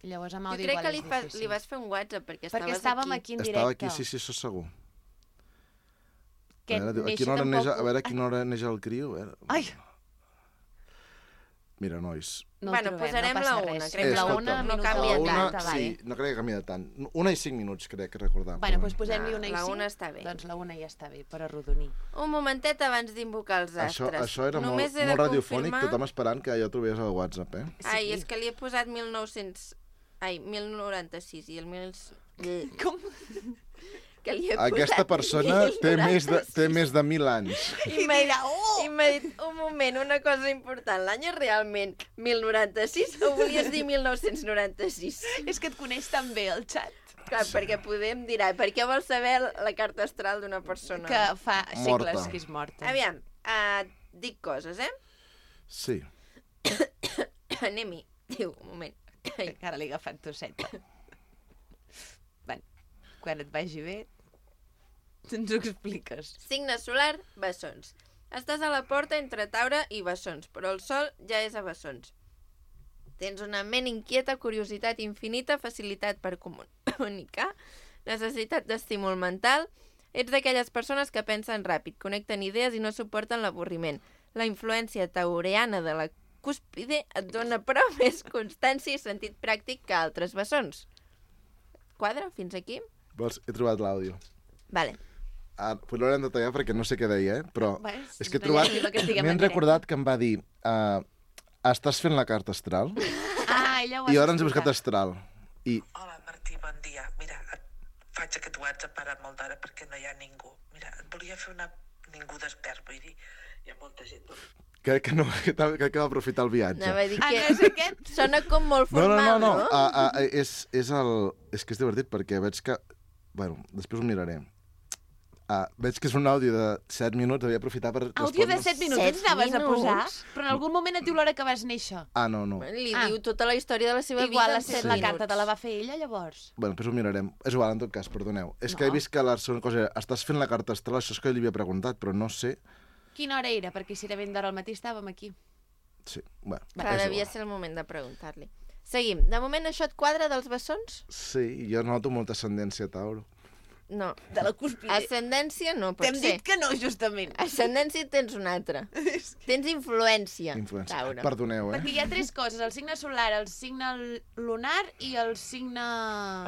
Llavors amb jo àudio crec igual que li, és fa, difícil. li vas fer un WhatsApp perquè estaves Perquè estàvem aquí. aquí en directe. Estava aquí, sí, sí, això segur. Que a, veure, a, néixer quina hora tampoc... neix, a veure a quina hora neix el criu. A veure. Ai! Mira, nois. No Bueno, trobem, posarem no passa la una, res. crec que la escolta, una, no minut canvia o una, quaranta, sí, vale. no crec que canvia tant. Una i cinc minuts, crec que recordar. Bueno, doncs posem-li Ah, una i la cinc. una està bé. Doncs la una ja està bé, per arrodonir. Un momentet abans d'invocar els Això, astres. això era Només molt, he de molt radiofònic, confirmar- tothom esperant que jo trobés el WhatsApp, eh? Ai, és que li he posat mil nou-cents... Ai, mil noranta-sis i el mil... Com? Que li he Aquesta posat persona té més, de, té més de mil anys. I m'ha dit, oh! I m'ha dit, un moment, una cosa important, l'any és realment mil noranta-sis o volies dir mil nou-cents noranta-sis? És que et coneix tan bé el xat. Clar, perquè podem dir, ai, per què vols saber la carta astral d'una persona? Que fa segles Morta. que és morta. Aviam, uh, dic coses, eh? Sí. Anem-hi. Diu, un moment. Ai. Que ara l'he agafat tosseta. Bueno, quan et vagi bé, ens ho expliques. Signe solar, bessons. Estàs a la porta entre Taure i bessons, però el sol ja és a bessons. Tens una ment inquieta, curiositat infinita, facilitat per comunicar, necessitat d'estímul mental. Ets d'aquelles persones que pensen ràpid, connecten idees i no suporten l'avorriment. La influència taureana de la cúspide et dona però més constància i sentit pràctic que altres bessons. Quadra, fins aquí? Vols? He trobat l'àudio. Vale. Ah, pues l'haurem de tallar perquè no sé què deia, eh? Però Bueno, és que he una trobat... llàstima que estiguem M'he en directe. recordat que em va dir uh, estàs fent la carta astral? Ah, ella ho I has ara ens he buscat explicat. astral. I Hola, Martí, bon dia. Mira, et faig aquest WhatsApp ara molt d'hora perquè no hi ha ningú. Mira, et volia fer una... Ningú despert, vull dir, hi ha molta gent. crec que, no, que, crec que va aprofitar el viatge. Anava a dir Ah, que no és aquest? sona com molt No, no, formal, no, no. no? Uh, uh, és, és, el... és que és divertit perquè veig que... Bueno, després ho miraré. Uh, veig que és un àudio de set minuts, havia aprofitat per Àudio de respondre- set minuts Set ens anaves a posar? minuts? Però en algun moment et diu l'hora que vas néixer. Ah, no, no. Li Ah. diu tota la història de la seva Igual vida la, en set, set la minuts. carta te la va fer ella, llavors. Bueno, després ho mirarem. És igual, en tot cas, perdoneu. És que No. he vist que la segona cosa era estàs fent la carta astral, això és que li havia preguntat, però no sé... Quina hora era? Perquè si era ben d'hora al matí estàvem aquí. Sí, bueno. Clar, és devia igual. ser el moment de preguntar-li. Seguim. De moment això et quadra dels bessons? Sí, jo noto molta ascendència a Tauro. No. De la cúspide. Ascendència no pot T'hem ser. dit que no, justament. Ascendència tens una altra. Tens influència, Influència. Taure. Perdoneu, eh? Perquè hi ha tres coses, el signe solar, el signe lunar i el signe...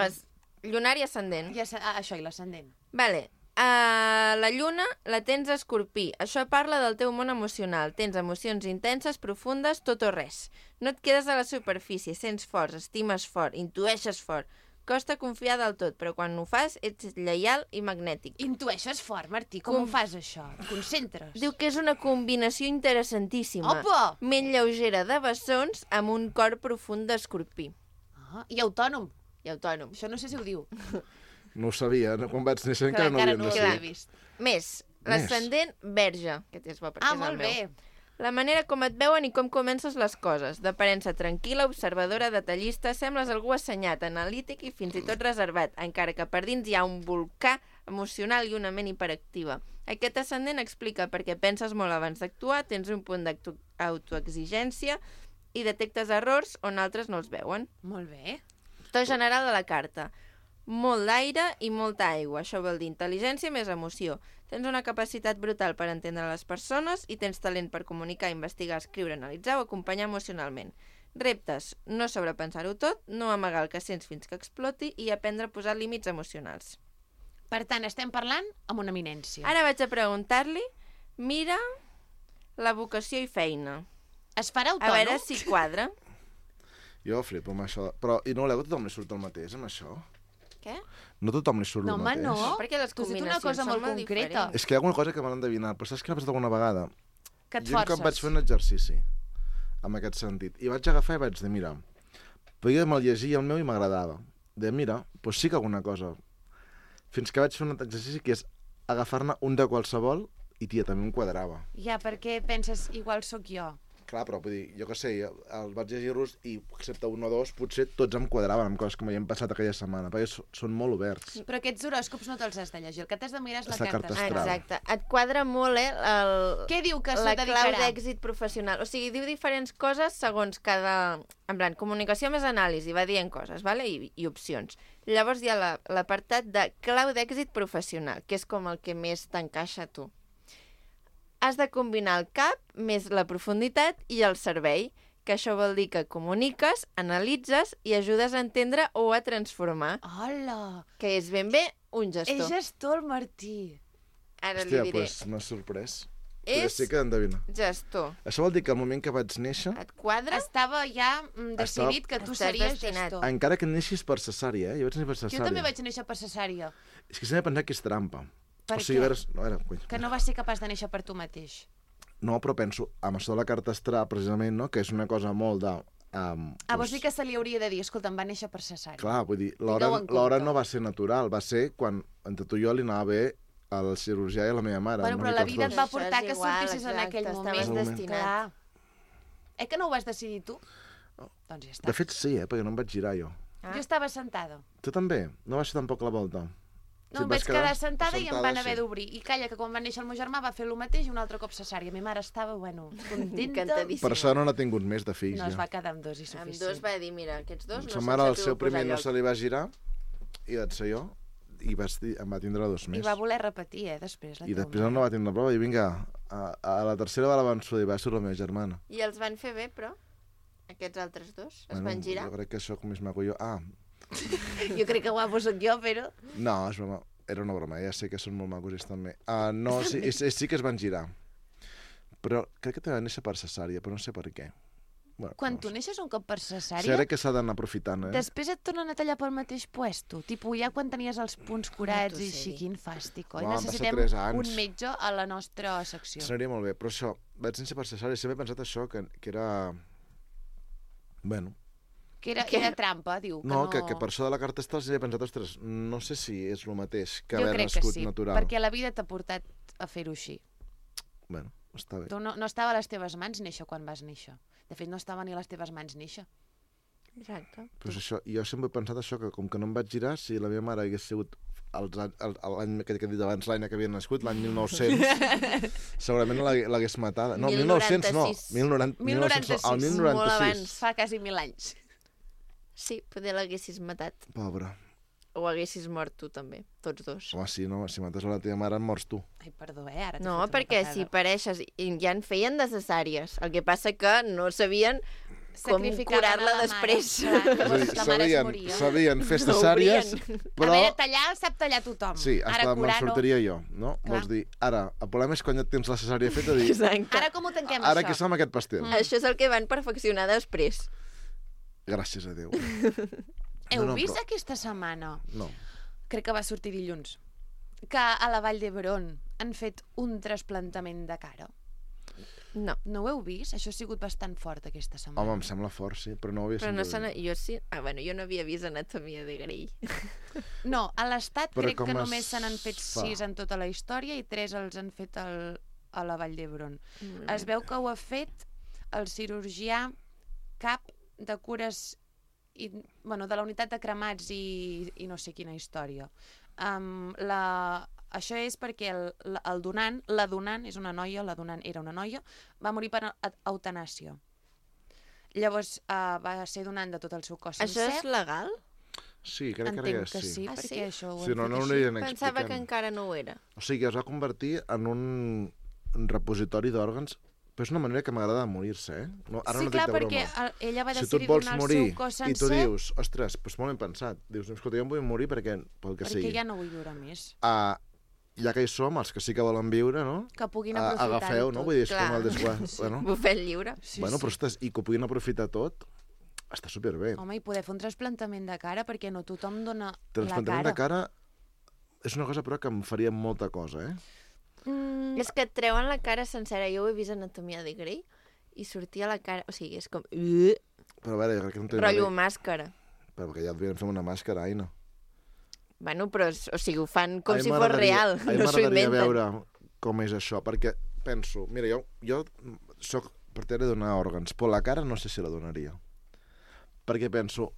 Es... Lunar i ascendent. Ja, sa- ah, això, i l'ascendent. Vale. Uh, la lluna la tens a Escorpí. Això parla del teu món emocional. Tens emocions intenses, profundes, tot o res. No et quedes a la superfície, sents fort, estimes fort, intueixes fort. Costa confiar del tot, però quan ho fas ets lleial i magnètic. Intueixes fort, Martí, com Com- ho fas, això? Et concentres? Diu que és una combinació interessantíssima. Opa! Ment lleugera de bessons amb un cor profund d'escorpí. Ah, i autònom. I autònom. Això no sé si ho diu. No ho sabia, no? Quan vaig néixer Que encara no encara havien no ho de havia ser. vist. Més, l'ascendent verge, que és bo perquè Ah, és el molt meu. bé. La manera com et veuen i com comences les coses. D'aparença tranquil·la, observadora, detallista, sembles algú assenyat, analític i fins i tot reservat, encara que per dins hi ha un volcà emocional i una ment hiperactiva. Aquest ascendent explica perquè penses molt abans d'actuar, tens un punt d'autoexigència i detectes errors on altres no els veuen. Molt bé. To general de la carta. Molt d'aire i molta aigua. Això vol dir intel·ligència més emoció. Tens una capacitat brutal per entendre les persones i tens talent per comunicar, investigar, escriure, analitzar o acompanyar emocionalment. Reptes, no sobrepensar-ho tot, no amagar el que sents fins que exploti i aprendre a posar límits emocionals. Per tant, estem parlant amb una eminència. Ara vaig a preguntar-li, mira la vocació i feina. Es farà A autònom? veure si quadra. Jo flipo amb això. Però, i no voleu que tothom li surt el mateix, amb això? Què? No tothom li surt No, el home, mateix. no. Perquè les Tu has dit una combinacions cosa són molt molt concreta. diferents. És que hi ha alguna cosa que m'han endevinat, però saps què m'ha passat alguna vegada? Que et Jo un cop forces. vaig fer un exercici, en aquest sentit, i vaig agafar i vaig dir, mira, perquè me'l llegia el meu i m'agradava. De mira, doncs sí que alguna cosa. Fins que vaig fer un exercici que és agafar-ne un de qualsevol i, tia, també em quadrava. Ja, perquè penses, igual sóc jo. Clar, però vull dir, jo què sé, els vaig llegir-los i, excepte un o dos, potser tots em quadraven amb coses que m'havien passat aquella setmana, perquè so- són molt oberts. Però aquests horòscops no te'ls has de llegir. El que t'has de mirar és la És la carta carta astral. astral. Exacte. Et quadra molt, eh, el... Què diu que se la clau dedicarà? d'èxit professional. O sigui, diu diferents coses segons cada... En plan, comunicació més anàlisi, va dient coses, vale? I, i opcions. Llavors hi ha la- l'apartat de clau d'èxit professional, que és com el que més t'encaixa a tu. Has de combinar el cap més la profunditat i el cervell, que això vol dir que comuniques, analitzes i ajudes a entendre o a transformar, Hola! que és ben bé un gestor. És gestor, el Martí. Ara Hòstia, li diré. doncs m'ha sorprès. Però És sí que endevina. gestor. Això vol dir que al moment que vaig néixer, Et quadra? Estava ja mm, decidit que tu Estàs series destinat. gestor. encara que neixis per cesària, eh? Jo vaig néixer per Jo cesària. també vaig néixer per cesària. És que sempre he pensat que és trampa. Per o sigui, què? a veure, no, era, coi. Que no vas ser capaç de néixer per tu mateix. No, però penso, amb això de la carta astral, precisament, no? Que és una cosa molt de... Um, Ah, vols dir que se li hauria de dir, escolta, em va néixer per cesària. Clar, vull dir, Tingueu l'hora en l'hora compte. no va ser natural, va ser quan entre tu i jo li anava bé al cirurgià i a la meva mare. Bueno, una però mica la els vida et dos. va Això portar és que igual, sortissis en exacte, aquell estaves moment. destinat. Clar. Eh que no ho vas decidir tu? Doncs ja està. De fet, sí, eh? Perquè no em vaig girar jo. Ah. Jo estava sentada. Tu també? No vas fer tampoc la volta? No, et em vas vaig quedar sentada i em van haver sí. d'obrir. I calla, que quan va néixer el meu germà va fer el mateix i un altre cop cesària. Mi mare estava, bueno, contenta. Encantadíssima. Per això no n'ha tingut més de fills, No, es ja. va quedar amb dos i Amb suficient. dos va dir, mira, aquests dos no Sa se'ls mare, ha el pogut seu primer posar no lloc. se li va girar i vaig ser jo i vas dir, em va tindre dos més. I va voler repetir, eh, després. La I teva després mare. no va tindre prova i vinga, a, a la tercera va l'avançuda i va ser la meva germana. I els van fer bé, però? Aquests altres dos? Es van girar? Jo crec que això com és maco jo. Ah, Jo crec que guapo sóc jo, però... no, és broma. Era una broma, ja sé que són molt macos ells també. Uh, no, sí, sí, sí que es van girar. Però crec que te van néixer per cesària, però no sé per què. Bueno, Quan no tu sé. neixes un cop per cesària, Sí, crec que s'ha d'anar aprofitant, eh? després et tornen a tallar pel mateix puesto. Tipo, ja quan tenies els punts curats i així, quin fàstic, oi? Home, van passar Necessitem tres anys. un metge a la nostra secció. Seria molt bé, però això, vaig néixer per cesària i sempre he pensat això, que, que era... Bueno, Que era, Què? era trampa, diu. Que no, no, que, que per això de la carta astral sempre he pensat, ostres, no sé si és el mateix que Jo haver crec que nascut sí, natural. perquè la vida t'ha portat a fer-ho així. Bueno, està bé. Tu no, no estava a les teves mans néixer quan vas néixer. De fet, no estava ni a les teves mans néixer. Exacte. Però és això, jo sempre he pensat això, que com que no em vaig girar, si la meva mare hagués sigut els anys- el- l'any que he dit abans, l'any que havia nascut, l'any mil nou-cents, segurament l'hagués l'hagués matada. No, mil mil nou-cents no, noranta-sis. mil noranta, mil noranta-sis, el mil molt noranta-sis. abans. Fa quasi mil anys. Sí, poder l'haguessis matat. Pobre. O haguessis mort tu, també. Tots dos. Home, sí, no, si mates a la teva mare, em mors tu. Ai, perdó, eh? Ara t'he No, fet una perquè patada. si pareixes... I ja en feien necessàries. El que passa que no sabien com Sacrificaven curar-la a la després. Mare. Clar, És a dir, llavors la mare es sabien, moria. sabien fer No cesàries, obrien. però... A veure, tallar sap tallar tothom. Sí, Ara hasta me'n curar no. sortiria jo, no? Clar. Vols dir, ara, el problema és quan ja tens la cesària feta, dir, Exacte. Ara com ho tanquem, ara això? què som amb aquest pastel? Mm. Això és el que van perfeccionar després. Gràcies a Déu. Heu No, no, vist però- aquesta setmana? No. Crec que va sortir dilluns. Que a la Vall d'Hebron han fet un trasplantament de cara. No. No ho heu vist? Això ha sigut bastant fort aquesta setmana. Home, em sembla fort, sí, però no ho havia Però no sentit. se n'ha- jo sí... Ah, bueno, jo no havia vist Anatomia de Grey. No, a l'Estat Però crec com que es només se n'han fet fa? sis en tota la història i tres els han fet al, a la Vall d'Hebron. Mm. Es veu que ho ha fet el cirurgià cap de cures i, bueno, de la unitat de cremats i, i no sé quina història. Um, la, això és perquè el, la- el donant, la donant és una noia, la donant era una noia, va morir per a- eutanàsia. Llavors uh, va ser donant de tot el seu cos Això sencer. és legal? Sí, crec Entenc que, que sí. sí, Ah, perquè sí? això ho Sí, han no, fet no ho així. anirien Pensava que explicant. encara no ho era. O sigui, es va convertir en un un repositori d'òrgans, però és una manera que m'agrada de morir-se, eh? No, ara Sí, no clar, dic de perquè broma. el- ella va Si tu decidir et vols donar morir el seu cos i tu sencer dius, ostres, doncs molt ben pensat. Dius, escolta, jo em vull morir perquè, pel que perquè sigui. ja no vull viure més. Uh, ja que hi som, els que sí que volen viure, no? Que puguin A- aprofitar-ho agafeu, no? tot. Vull dir, és Clar. com el desguàs. Sí. Bueno, Bufet lliure. Sí, bueno, sí. però ostres, i que ho puguin aprofitar tot, està superbé. Home, i poder fer un trasplantament de cara, perquè no tothom dona la cara. Trasplantament de cara és una cosa, però, que em faria molta cosa, eh? Mm. És que et treuen la cara sencera. Jo ho he vist a Anatomia de Grey i sortia la cara... O sigui, és com... Però a veure, jo crec que no tenia... Rotllo màscara. Però perquè ja et devien fer una màscara, Aina. Bueno, però, o sigui, ho fan com si fos real. A mi no s'ho m'agradaria inventen. veure com és això, perquè penso... Mira, jo, jo soc partidari de donar òrgans, però la cara no sé si la donaria. Perquè penso...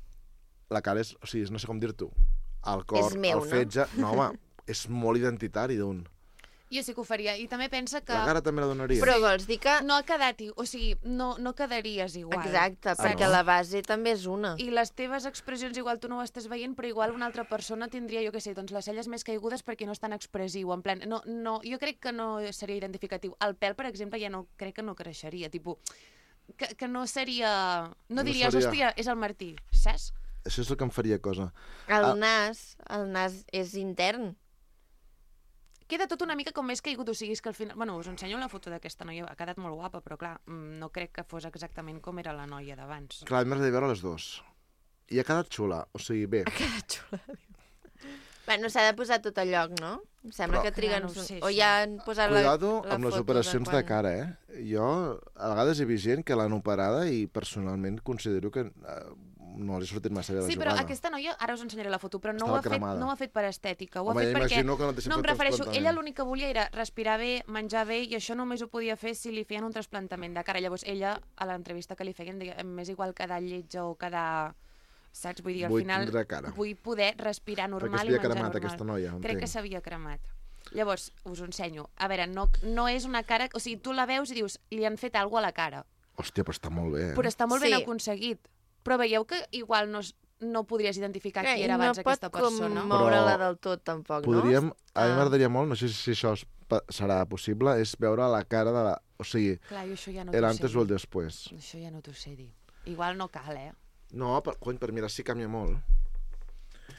La cara és... O sigui, no sé com dir-t'ho. El cor, És meu, el fetge... No, home, és molt identitari d'un... Jo sí que ho faria. I també pensa que... La cara també la donaria. Però vols dir que... No ha quedat... O sigui, no, no quedaries igual. Exacte, Ah, perquè no? la base també és una. I les teves expressions igual tu no ho estàs veient, però igual una altra persona tindria, jo què sé, doncs les celles més caigudes perquè no és tan expressiu, en plan... No, no, jo crec que no seria identificatiu. El pèl, per exemple, ja no crec que no creixeria, tipus... Que, que no seria... No, No diries, seria- hòstia, és el Martí, saps? Això és el que em faria cosa. El Ah. nas, el nas és intern. Queda tot una mica com més caigut, o sigui, és que al final... Bueno, us ensenyo una foto d'aquesta noia, ha quedat molt guapa, però clar, mm, no crec que fos exactament com era la noia d'abans. Clar, m'agradaria veure les dues. I ha quedat xula, o sigui, bé. Que xula. Bueno, s'ha de posar tot a lloc, no? Em sembla Però- que triguen... Clar, no ho sé, o això. ja han posat la, Cuidado la amb les foto operacions de, quan- cara, eh? Jo, a vegades he vist gent que l'han operada i personalment considero que eh, no li ha sortit massa bé la Sí, però jugada. aquesta noia, ara us ensenyaré la foto, però no ho, Estava ha fet, cremada. no ho ha fet per estètica, ho Home, ha fet ja perquè... imagino que no té no, em sempre refereixo, trasplantament. ella l'únic que volia era respirar bé, menjar bé, i això només ho podia fer si li feien un trasplantament de cara. Llavors ella, a l'entrevista que li feien, deia, m'és igual quedar lletja o quedar... Saps? Vull dir, al Vull final tindre cara. vull poder respirar normal Perquè i s'havia menjar cremat normal. aquesta noia, Crec entenc. que s'havia cremat. Llavors, us ho ensenyo. A veure, no, no és una cara... O sigui, tu la veus i dius, li han fet alguna cosa a la cara. Hòstia, però està molt bé, eh? Però està molt Sí. ben aconseguit. Però veieu que igual no, es- no podries identificar Que qui era abans no aquesta pot persona. com moure-la Però del tot, tampoc, Podríem... no? A mi Ah. m'agradaria molt, no sé si això es pa- serà possible, és veure la cara de la... O sigui, Clar, jo això ja no el t'ho sé antes o el dir. después. Això ja no t'ho sé dir. Igual no cal, eh? No, per, cony, per mirar si canvia molt.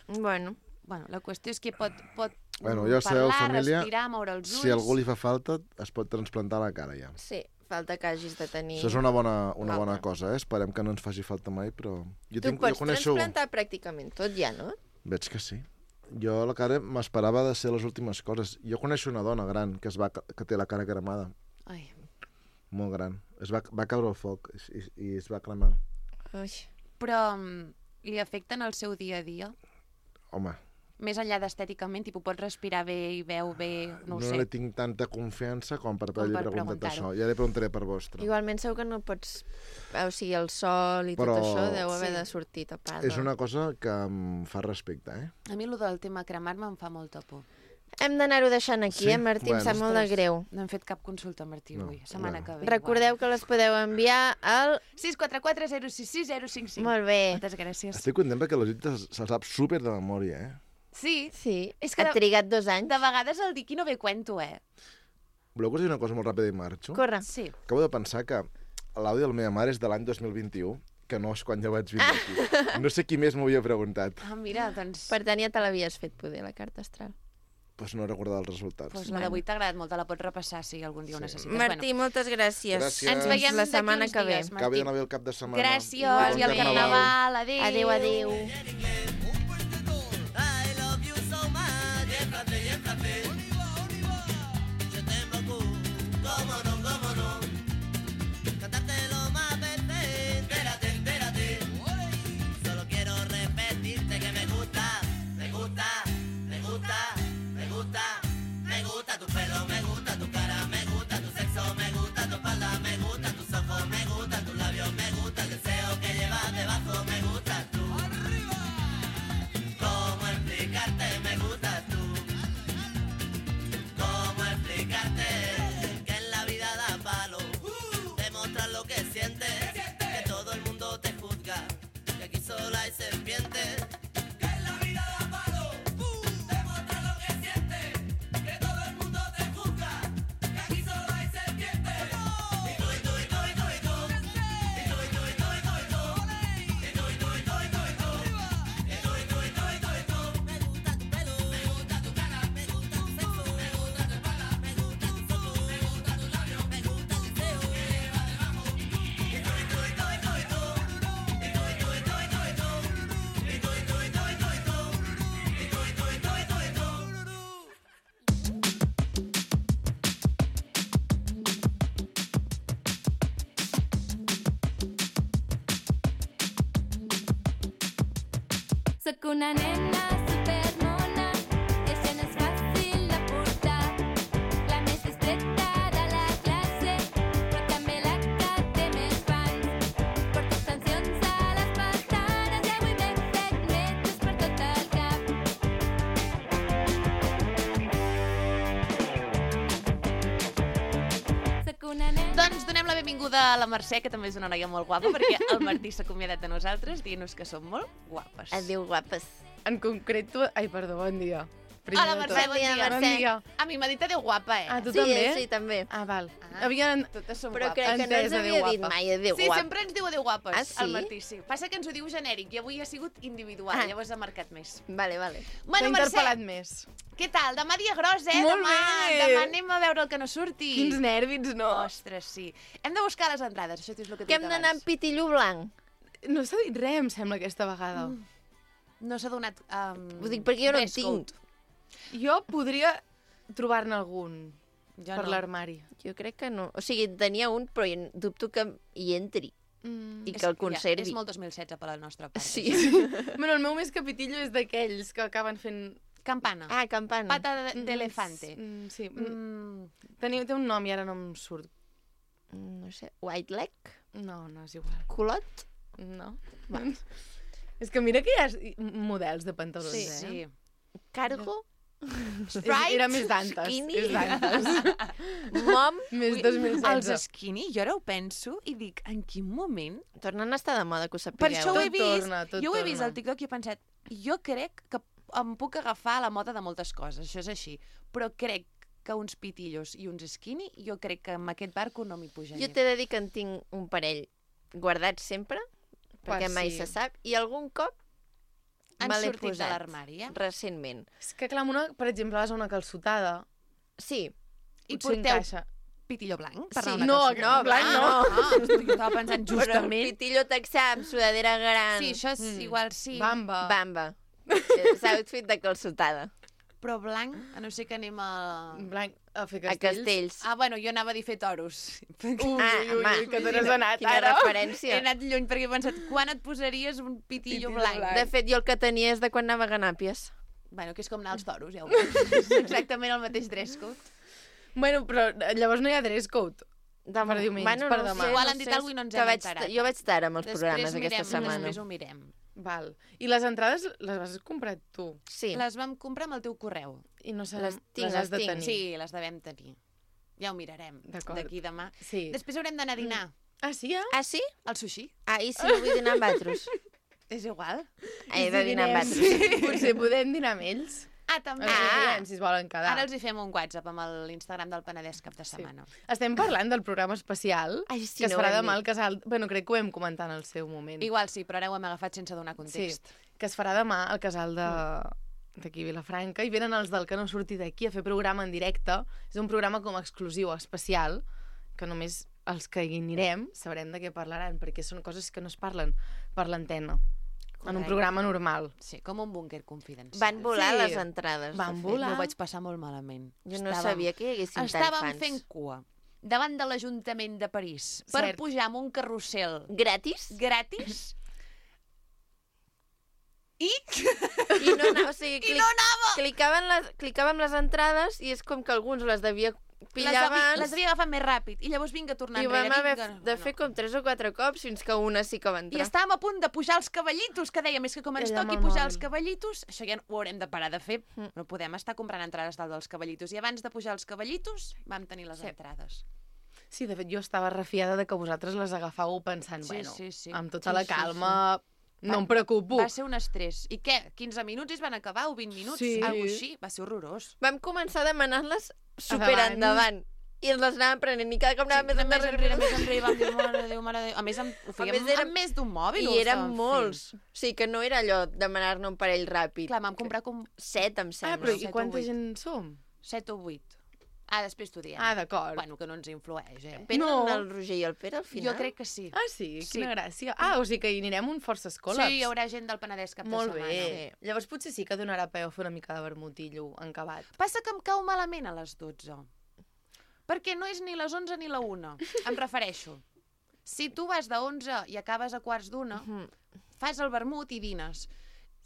Bueno, Bueno, la qüestió és que pot, pot Bueno, mm, ja sabeu, parlar, família, respirar, moure els ulls... Si a algú li fa falta, es pot transplantar la cara ja. sí, falta que hagis de tenir... Això és una bona, una L'altre. bona cosa, eh? Esperem que no ens faci falta mai, però... Jo Tu tinc, pots jo coneixo... transplantar pràcticament tot ja, no? Veig que sí. Jo la cara m'esperava de ser les últimes coses. Jo coneixo una dona gran que, es va, que té la cara cremada, Ai, molt gran. Es va, va caure al foc i, i, i es va cremar. Ui. però mm, li afecten el seu dia a dia? Home, Més enllà d'estèticament, tipus, pot respirar bé i veu bé, no no, ho sé. li tinc tanta confiança com per Com haver-li per preguntat preguntar-ho. això. Ja li preguntaré per vostre. Igualment segur que no pots... O sigui, el sol i Però- tot això deu haver Sí. de sortir tapat. És una cosa que em fa respecte, eh? A mi, el del tema cremar-me em fa molta por. Hem d'anar-ho deixant aquí, Sí? eh, Martí? Bueno. Em sap molt de Ostres, greu. No hem fet cap consulta, Martí, No, avui. Setmana bueno. que ve. Recordeu que les podeu enviar al... sis quatre quatre zero sis sis zero cinc cinc. Molt bé. Moltes gràcies. Estic content perquè la gent se- se'l sap súper de memòria, eh? Sí, Sí, És que ha de- trigat dos anys. de vegades el dic i no ve cuento, eh? Voleu que us digui una cosa molt ràpida i marxo? Corre. Sí. Acabo de pensar que l'àudio de la meva mare és de l'any dos mil vint-i-u, que no és quan ja vaig vindre aquí. No sé qui més m'ho havia preguntat. Ah, mira, doncs... Per tant, ja te l'havies fet, poder, la carta astral. Doncs no recordava els resultats. Pues la d'avui t'ha agradat molt, te la pots repassar si algun dia ho Sí. necessites. Martí, moltes gràcies. Gràcies. Ens veiem la d'aquí setmana uns que ve. dies, Que bé Martí. d'anar bé el cap de setmana. Gràcies, Igualment. i al carnaval. Adéu. Adéu, adéu. Cantártelo más veces, entérate, entérate. Solo quiero repetirte que me gusta, me gusta, me gusta, me gusta, me gusta tu pelo, me gusta tu cara, me gusta tu sexo, me gusta tu espalda, me gustan tus ojos, me gustan tus labios, me gusta el deseo que llevas debajo, me gusta tú. Sóc una nena supermona, això no és fàcil de portar. La més distreta de la classe, però també la que té més fans. Porto extensions a les pestanes i avui m'he fet metres per tot el cap. Sóc una nena... Doncs donem la benvinguda a la Mercè, que també és una noia molt guapa, perquè el Martí s'ha acomiadat de nosaltres dient-nos que som molt guapes. Adéu, guapes. En concret, tu... Ai, perdó, bon dia. Primer Hola, de Mercè, tot. bon dia. Mercè. Bon dia. A mi m'ha dit adéu guapa, eh? Ah, tu Sí, també? sí, també. Ah, val. Ah. Havien... Totes som Però guapes. crec que no Entès, ens adéu, havia dit guapa. mai adéu, Sí, guapa. sempre ens diu adéu guapes, Ah, sí? el Martí, sí. Passa que ens ho diu genèric i avui ha sigut individual, Ah. llavors ha marcat més. Vale, vale. T'ha Bueno, Mercè, interpel·lat més. què tal? Demà dia gros, eh? Molt demà, bé. demà anem a veure el que no surti. Quins nervis, no? Ostres, sí. Hem de buscar les entrades, això és el que t'he Que dit hem d'anar abans. amb pitillo blanc. No s'ha dit res, em sembla, aquesta vegada. No s'ha donat... Um, Ho dic perquè jo no en dress code. tinc. Jo podria trobar-ne algun Jo per no. l'armari. Jo crec que no. O sigui, tenia un, però jo dubto que hi entri Mm. i que el conservi. Ja, és molt dos mil setze per la nostra part. Sí. Bueno, el meu més capitillo és d'aquells que acaben fent... Campana. Ah, campana. Pata de- d'elefante. Mm, sí. Mm, Teniu, té un nom i ara no em surt. No sé, white leg? No, no és igual. Culot? No. És que mira que hi ha models de pantalons, sí, eh? sí. Cargo? És, era més d'antes. Skinny? És d'antes. Mom? Més dos mil Els setze. skinny, jo ara ho penso i dic, en quin moment... Tornen a estar de moda, que ho sapigueu. Per això ho he Tot vist, torna, tot jo ho he torna. vist al TikTok i he pensat, jo crec que em puc agafar a la moda de moltes coses, això és així, però crec que uns pitillos i uns skinny, jo crec que amb aquest barco no m'hi pujaria. Jo t'he de dir que en tinc un parell guardats sempre, perquè Per mai si. se sap, i algun cop Han me l'he sortit de posat l'armari, eh? recentment. És que clar, amb una, per exemple, vas a una calçotada, Sí, I potser porteu encaixa. pitillo blanc? Per Sí. anar a una No, calçotada? no, blanc no. Ah, ah, jo estava pensant però el justament... pitillo texà amb sudadera gran. Sí, això és Mm. igual, sí. Bamba. Bamba. És outfit de calçotada. Però blanc, a no ser que anem a... Blanc a fer A castells. castells. Ah, bueno, jo anava a dir fer toros. Ui, Ah, ui, ui, home, ui, que te n'has anat Quina ara. He referència. anat lluny perquè he pensat, quan et posaries un pitillo, Pitillo blanc? blanc. De fet, jo el que tenia és de quan anava a Ganàpies. Bueno, que és com anar als toros, ja ho veus. És exactament el mateix dress code. Bueno, però llavors no hi ha dress code. Demà, Per diumenge, per demà. Igual han dit alguna cosa i no ens que hem vaig, enterat. Jo vaig estar amb els Després programes mirem, aquesta setmana. Després ho mirem. Val. I les entrades les has comprat tu? Sí, Les vam comprar amb el teu correu. I no sé, Les tinc, les has les de tinc. tenir. Sí, les devem tenir. Ja ho mirarem D'acord. d'aquí demà. Sí. Després haurem d'anar a dinar. Ah, sí, ja? ah, sí? Al sushi. Ah, i si no vull dinar amb altres? És igual. He de dinar amb altres. Sí. Potser podem dinar amb ells. Ah, també. Els Ah. diem, si es volen quedar. Ara els hi fem un WhatsApp amb l'Instagram del Penedès cap de setmana. Estem parlant del programa especial Ai, sí, que es no ho farà hem demà dit. al casal... Bueno, crec que ho hem comentat en el seu moment. Igual sí, però ara ho hem agafat sense donar Sí, context. que es farà demà al casal de d'aquí a Vilafranca i venen els del que no surti d'aquí a fer programa en directe. És un programa com exclusiu, especial, que només els que hi anirem sabrem de què parlaran, perquè són coses que no es parlen per l'antena, en un Correcte. programa normal. Sí, com un búnquer confidencial. Van volar Sí. les entrades. Van de fet. volar. M'ho vaig passar molt malament. Jo no Estàvem- sabia que hi haguessin tants Estàvem fans. fent cua davant de l'Ajuntament de París per Cert. pujar amb un carrusel Gratis? gratis i... I no anava, o sigui, I clic, no anava! clicaven les, clicàvem les entrades i és com que alguns les devia Les, pillar havia, abans les havia agafat més ràpid i llavors vinga a tornar i enrere. vam haver vinga, de fer com tres o quatre cops fins que una sí que va I entrar. estàvem a punt de pujar els cavallitos, que dèiem, és que com ens Allà amb toqui el pujar mòbil. els cavallitos, això ja ho haurem de parar de fer. Mm. No podem estar comprant entrades dalt dels cavallitos. I abans de pujar els cavallitos, vam tenir les Sí. entrades. Sí, de fet, jo estava refiada de que vosaltres les agafàveu pensant, Sí, bueno, sí, sí. amb tota Sí, la sí, calma, no Va- em preocupo. Va ser un estrès. I què? quinze minuts i es van acabar o vint minuts? Sí. Algo així. Va ser horrorós. Vam començar a demanar-les super Endavant. endavant. I ens les anàvem prenent i cada cop anàvem Sí, més més enrere. enrere, més enrere, vam dir, mare de Déu, mare de Déu. A més, amb, ho fèiem més, érem- amb més d'un mòbil. ho I eren estàvem molts. fent. O sigui que no era allò demanar-ne un parell ràpid. Clar, vam comprar com Set, em Ah, sembla. però set i o quanta vuit. gent som? set o vuit. Ah, després t'ho diem. Ah, d'acord. Bueno, que no ens influeix, eh? Venen No. el Roger i el Pere al final? Jo crec que sí. Ah, sí? Sí. Quina gràcia. Ah, o sigui que hi anirem un forces col·laps. Sí, hi haurà gent del Penedès cap Molt de setmana. bé. Llavors potser sí que donarà peu a fer una mica de vermutillo encabat. Passa que em cau malament a les dotze. Perquè no és ni les onze ni la una. Em refereixo. Si tu vas de onze i acabes a quarts d'una, Mhm. fas el vermut i dines.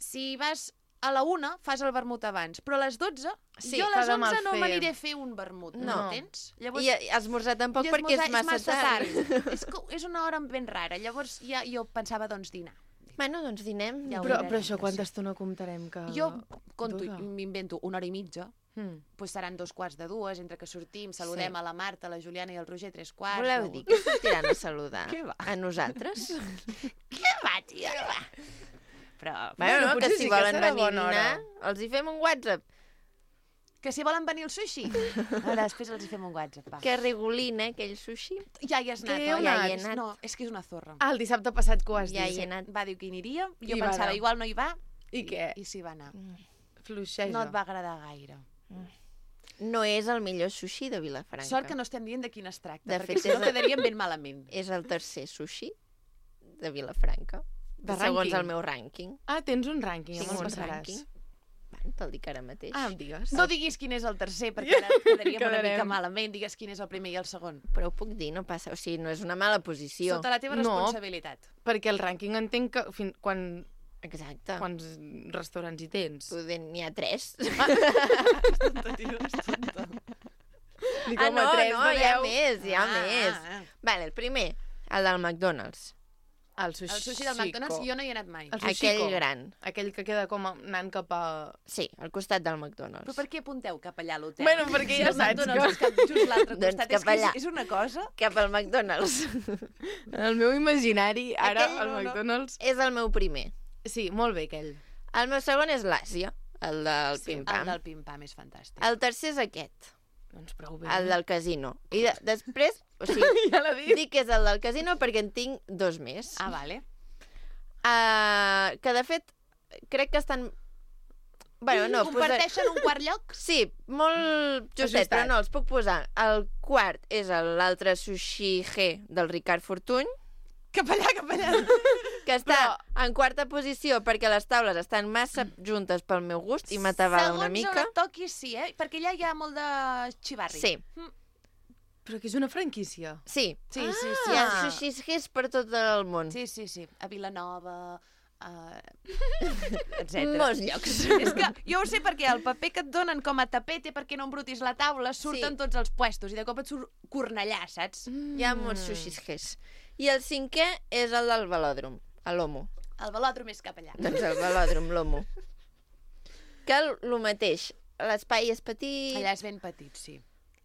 si vas a la una, fas el vermut abans, però a les dotze, Sí, jo a fa les de mal onze no fer. m'aniré a fer un vermut, no, No. entens? Llavors, I esmorzar tampoc i perquè és esmorzar massa, tard. és, que és una hora ben rara, llavors ja jo pensava, doncs, dinar. Bueno, doncs dinem. Ja ho Però, mirarem, però això ja quanta sé. estona comptarem que... Jo conto, dura? m'invento una hora i mitja, Mm. doncs seran dos quarts de dues, entre que sortim, saludem Sí. a la Marta, a la Juliana i al Roger, tres quarts. Voleu no? dir que sortiran a saludar Què va? a nosaltres? Què va, tia? Què va? Però, Bueno, no, que potser si sí que volen serà venir a bona hora. dinar, els hi fem un WhatsApp. que si volen venir al sushi, ara després els hi fem un WhatsApp, va. Que regolina aquell sushi. Ja hi has anat, Que heu oi? Ja hi he És- anat. No, és que és una zorra. Ah, el dissabte passat que ho has Ja dit. hi he anat. Va dir que hi aniria, jo I va pensava, anar. igual no hi va, I què? i s'hi va anar. Fluixeja. No et va agradar gaire. No és el millor sushi de Vilafranca. Sort que no estem dient de quin es tracta, De perquè fet, si no és- quedaríem ben malament. És el tercer sushi de Vilafranca. De segons rànquing? el meu rànquing. Ah, tens un rànquing, Tinc ja me'l un passaràs. rànquing. Bueno, te'l dic ara mateix. Ah, em digues. No diguis quin és el tercer, perquè ara quedaríem una Quedarem. mica malament. Digues quin és el primer i el segon. Però ho puc dir, no passa. O sigui, no és una mala posició. Sota la teva No. responsabilitat. Perquè el rànquing entenc que fin... quan... Exacte. quants restaurants hi tens. Poder n'hi ha tres. Dic, Ah, home, no, tres no, de hi ha deu. més, hi ha Ah, més. ah, ah. Vale, el primer, el del McDonald's. El sushi, El sushi del McDonald's jo no hi he anat mai. El Aquell sushiko. gran. Aquell que queda com anant cap a... Sí, al costat del McDonald's. Però per què apunteu cap allà a l'hotel? Bueno, perquè ja Si el saps McDonald's que- és cap just l'altre Doncs costat. cap és que és, allà. és una cosa... Cap al McDonald's. En el meu imaginari, ara, Aquell el no, no. McDonald's... És el meu primer. Sí, molt bé, aquell. El meu segon és l'Àsia, el del Sí, el pim-pam. del pim-pam és fantàstic. El tercer és aquest, Doncs prou bé. el del casino. I de, després, o sigui, Ja l'ha dit. dic que és el del casino perquè en tinc dos més. Ah, vale. Uh, que de fet, crec que estan... Bueno, no, Comparteixen un quart lloc? Sí, molt justet, Ajustat. però no, els puc posar. El quart és el- l'altre sushi G del Ricard Fortuny, Cap allà, cap allà. que està en quarta posició perquè les taules estan massa juntes pel meu gust i m'atabala una mica. Segons on et toquis, sí, eh? Perquè allà hi ha molt de xivarri. Sí, Però que és una franquícia. sí. Sí, sí, sí. Hi ha sí. sushis Gs per tot el món. Sí, sí, sí. A Vilanova, uh, etcètera. Molts llocs. És que jo ho sé perquè el paper que et donen com a tapete perquè no embrutis la taula surten Sí. tots els puestos i de cop et surt Cornellà, saps? Hi ha molts sushis Gs. I el cinquè és el del velòdrom, a l'Homo. El velòdrom és cap allà. Doncs el velòdrom, l'Homo. Que el, el mateix, l'espai és petit... Allà és ben petit, sí.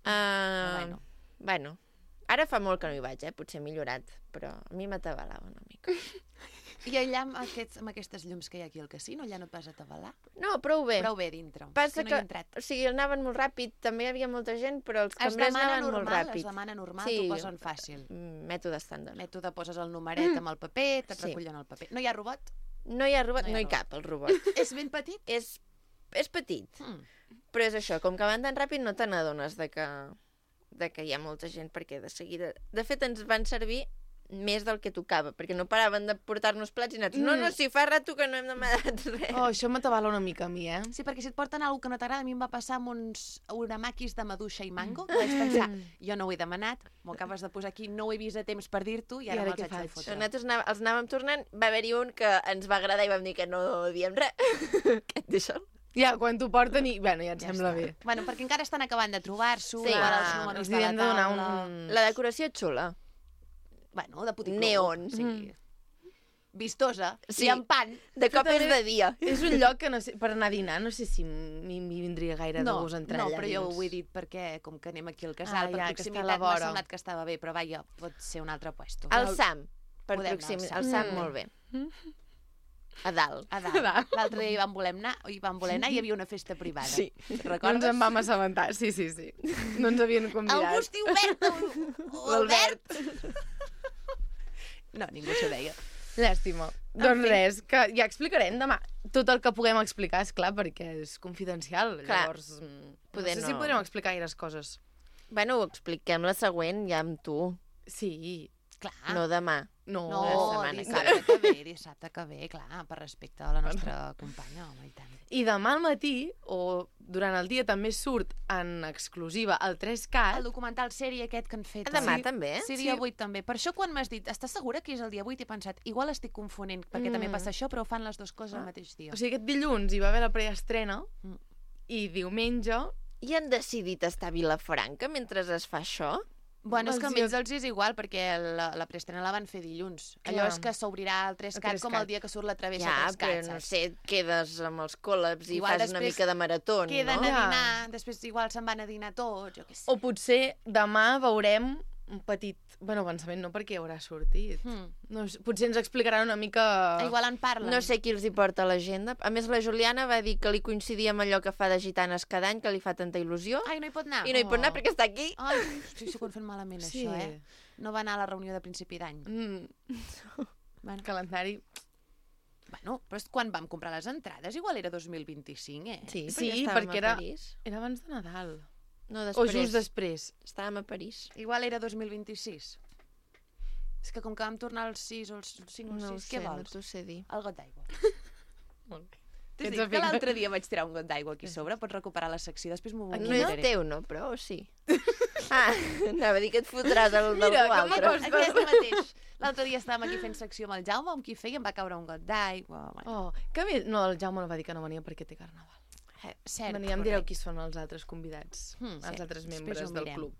Uh, bueno. bueno, ara fa molt que no hi vaig, eh? Potser he millorat, però a mi m'atabalava una mica. I allà amb, aquests, amb aquestes llums que hi ha aquí al casino, allà no et vas atabalar? No, prou bé. Prou bé dintre. Passa és que no que, hi he entrat. o sigui, anaven molt ràpid, també hi havia molta gent, però els Es cambrers demana anaven molt normal, ràpid. es demana normal, Sí. t'ho posen fàcil. Mm, Mètode estàndard. Mètode, poses el numeret amb el paper, te't Sí. recullen el paper. No hi ha robot? No hi ha robot, No hi no ha hi robot. cap, el robot. És ben petit? és, és petit, Mm. però és això, com que van tan ràpid no te n'adones de que, de que hi ha molta gent, perquè de seguida... De fet, ens van servir més del que tocava, perquè no paraven de portar-nos plats i nosaltres, no, no, si fa rato que no hem demanat res. Oh, això m'atabala una mica a mi, eh? Sí, perquè si et porten alguna que no t'agrada, a mi em va passar amb uns uramaquis de maduixa i mango, que vaig pensar, jo no ho he demanat, m'ho acabes de posar aquí, no ho he vist a temps per dir-t'ho i I ara, ara me'ls què haig de faig? fotre. Nosaltres anà- els anàvem tornant, va haver-hi un que ens va agradar i vam dir que no diem res. Que et deixa'l. Ja, quan t'ho porten i... Bueno, ja et Ja sembla està. bé. Bueno, perquè encara estan acabant de trobar-s'ho, Sí. igual els Ah, números els de la havien de donar taula... un... La decoració és xula. Bueno, de puticlub. Neon. Sí. Mm. Vistosa. Sí. I amb pan. De cop és de dia. És un lloc que no sé, per anar a dinar no sé si m'hi m'hi vindria gaire de No, gust entrar no, allà però jo dins. ho he dit perquè, com que anem aquí al casal, Ah, per ja, que està a proximitat la m'ha vora. semblat que estava bé, però vaja, pot ser un altre puesto. El Sam, per Podem anar al proximitat. Sam. El Sam, Mm. molt bé. A dalt. A dalt. L'altre dia hi vam voler anar, hi vam voler anar i hi havia una festa privada. Sí. No ens Recordes? en vam assabentar, sí, sí, sí. No ens havien convidat. Algú es diu Bert o Albert? No, ningú s'ho deia. Llàstima. Doncs res, que ja explicarem demà. Tot el que puguem explicar, és clar, perquè és confidencial. Clar. Llavors, mm, Poder no sé si no. podrem explicar gaires coses. Bueno, ho expliquem la següent ja amb tu. Sí. Clar. No demà. No, No, la setmana dissabte que ve, dissabte que ve, clar, per respecte a la nostra companya, home, i tant. I demà al matí, o durant el dia, també surt en exclusiva el tres cat. El documental sèrie aquest que han fet. Demà oi? també? Sí, dia vuit també. Per això quan m'has dit, estàs segura que és el dia vuit? He pensat, igual estic confonent, perquè Mm. també passa això, però fan les dues coses al mateix dia. O sigui, aquest dilluns hi va haver la preestrena Mm. i diumenge... I han decidit estar a Vilafranca mentre es fa això? Bueno, és que Els almenys dies- els és igual, perquè la, la preestrena la van fer dilluns. Allò Clar. és que s'obrirà el tres El cat tres com cat. el dia que surt la travessa Ja, tres cat, però no saps? sé, et quedes amb els col·labs i Igual fas una després mica de marató, Queden no? a Ja. dinar, després igual se'n van a dinar tots, jo què sé. O potser demà veurem un petit... Bueno, avançament no, perquè haurà sortit. Hmm. No, sé, potser ens explicaran una mica... Igual en parlen. No sé qui els hi porta a l'agenda. A més, la Juliana va dir que li coincidia amb allò que fa de gitanes cada any, que li fa tanta il·lusió. Ai, no hi pot anar. I no hi pot anar perquè està aquí. Ai, hosti, s'ho han fet malament, Sí. això, eh? No va anar a la reunió de principi d'any. Mm. Bueno. Calendari... Bueno, però és quan vam comprar les entrades, igual era dos mil vint-i-cinc, eh? Sí, Sí, estàvem perquè a era, París. era abans de Nadal. No, O després. just després. Estàvem a París. Igual era dos mil vint-i-sis. És que com que vam tornar als sis o els cinc o No ho sis, sé, què no vols? t'ho sé dir. El got d'aigua. Molt bé. T'has Ets dit que afina. l'altre dia vaig tirar un got d'aigua aquí a sobre? Pots recuperar la secció, després m'ho No vomitaré. és teu, no? Però o sí? Ah, anava a dir que et fotràs el Mira, d'algú com altre. m'acosta. Aquest mateix. L'altre dia estàvem aquí fent secció amb el Jaume, amb qui feia, em va caure un got d'aigua. Bueno, Oh, que bé... No, el Jaume no va dir que no venia perquè té carnaval. eh, cert. Venia, em direu qui són els altres convidats, Hmm, els sí, altres després membres ho del mirem. club.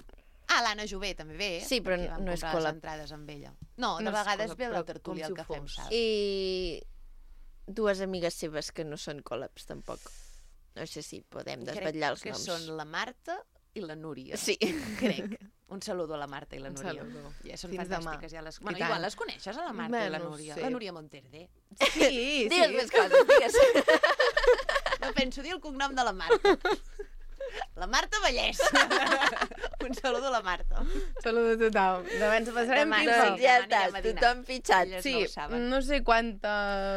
Ah, l'Anna Jové també ve. Sí, però perquè vam no és comprar col·lab. les entrades amb ella. No, de No és vegades col·lab, ve la però tertúlia com el si que ho fem, fos. saps? I dues amigues seves que no són col·labs, tampoc. No sé si podem desvetllar els Crec noms. que són la Marta i la Núria. Sí. Crec. Un saludo a la Marta i la Un Núria. saludo. Ja són Fins fantàstiques. demà. Ja les... I Bueno, tant. igual les coneixes, a la Marta Bé, i la no ho Núria. sé. La Núria Monterde. Sí, Digues sí. més coses, digues. No penso dir el cognom de la Marta. La Marta Vallès. Un saludo a la Marta. Saludo a tothom. Demà ens passarem Demà, pipa. Doncs sí. ja demà està, anirem a dinar. tothom fitxat. Elles Sí, no ho saben. no sé quanta...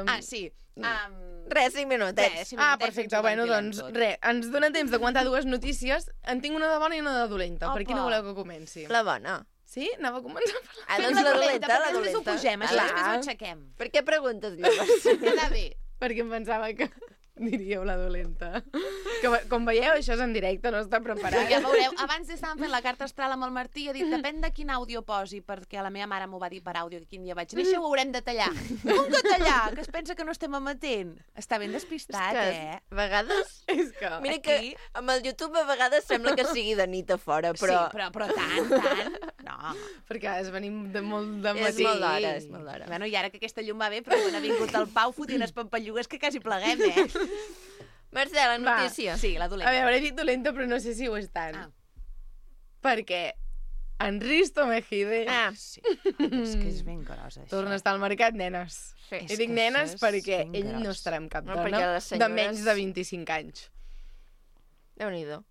Ah, sí. Um, Res, cinc minutets. Res, cinc Ah, minutets perfecte. ens ho Bueno, ventilem doncs, tot. res, ens dona temps de comentar dues notícies. En tinc una de bona i una de dolenta. Per Opa. quina voleu que comenci? La bona. Sí? Anava a començar per la... Ah, Fem doncs la dolenta, la perquè després ho dolenta. pugem, això Clar. després ho aixequem. Per què preguntes llavors? Queda bé. Perquè em pensava que diríeu la dolenta. Que, com veieu, això és en directe, no està Però preparat. ja veureu, abans estàvem fent la carta astral amb el Martí i ha dit, depèn de quin àudio posi, perquè la meva mare m'ho va dir per àudio, que quin dia vaig néixer, ho haurem de tallar. Com que tallar? Que es pensa que no estem emetent. Està ben despistat, És que eh? a vegades... És que... Mira que Aquí- amb el YouTube a vegades sembla que sigui de nit a fora, però... Sí, però, però tant, tant. No. Perquè es venim de molt de És matí. molt d'hora, és molt d'hora. Bueno, i ara que aquesta llum va bé, però quan ha vingut el Pau fotent les pampallugues que quasi pleguem, eh? Marcela, Va. notícia. Sí, la A dolenta. veure, he dit dolenta, però no sé si ho és tant. Ah. Perquè en Risto Mejide Ah, Sí, és que és ben grossa, això. torna a estar al mercat, nenes. sí. És I dic que nenes això és perquè ben ell no gros. estarà amb cap No, dona perquè les de senyores- menys de vint-i-cinc anys. Déu-n'hi-do.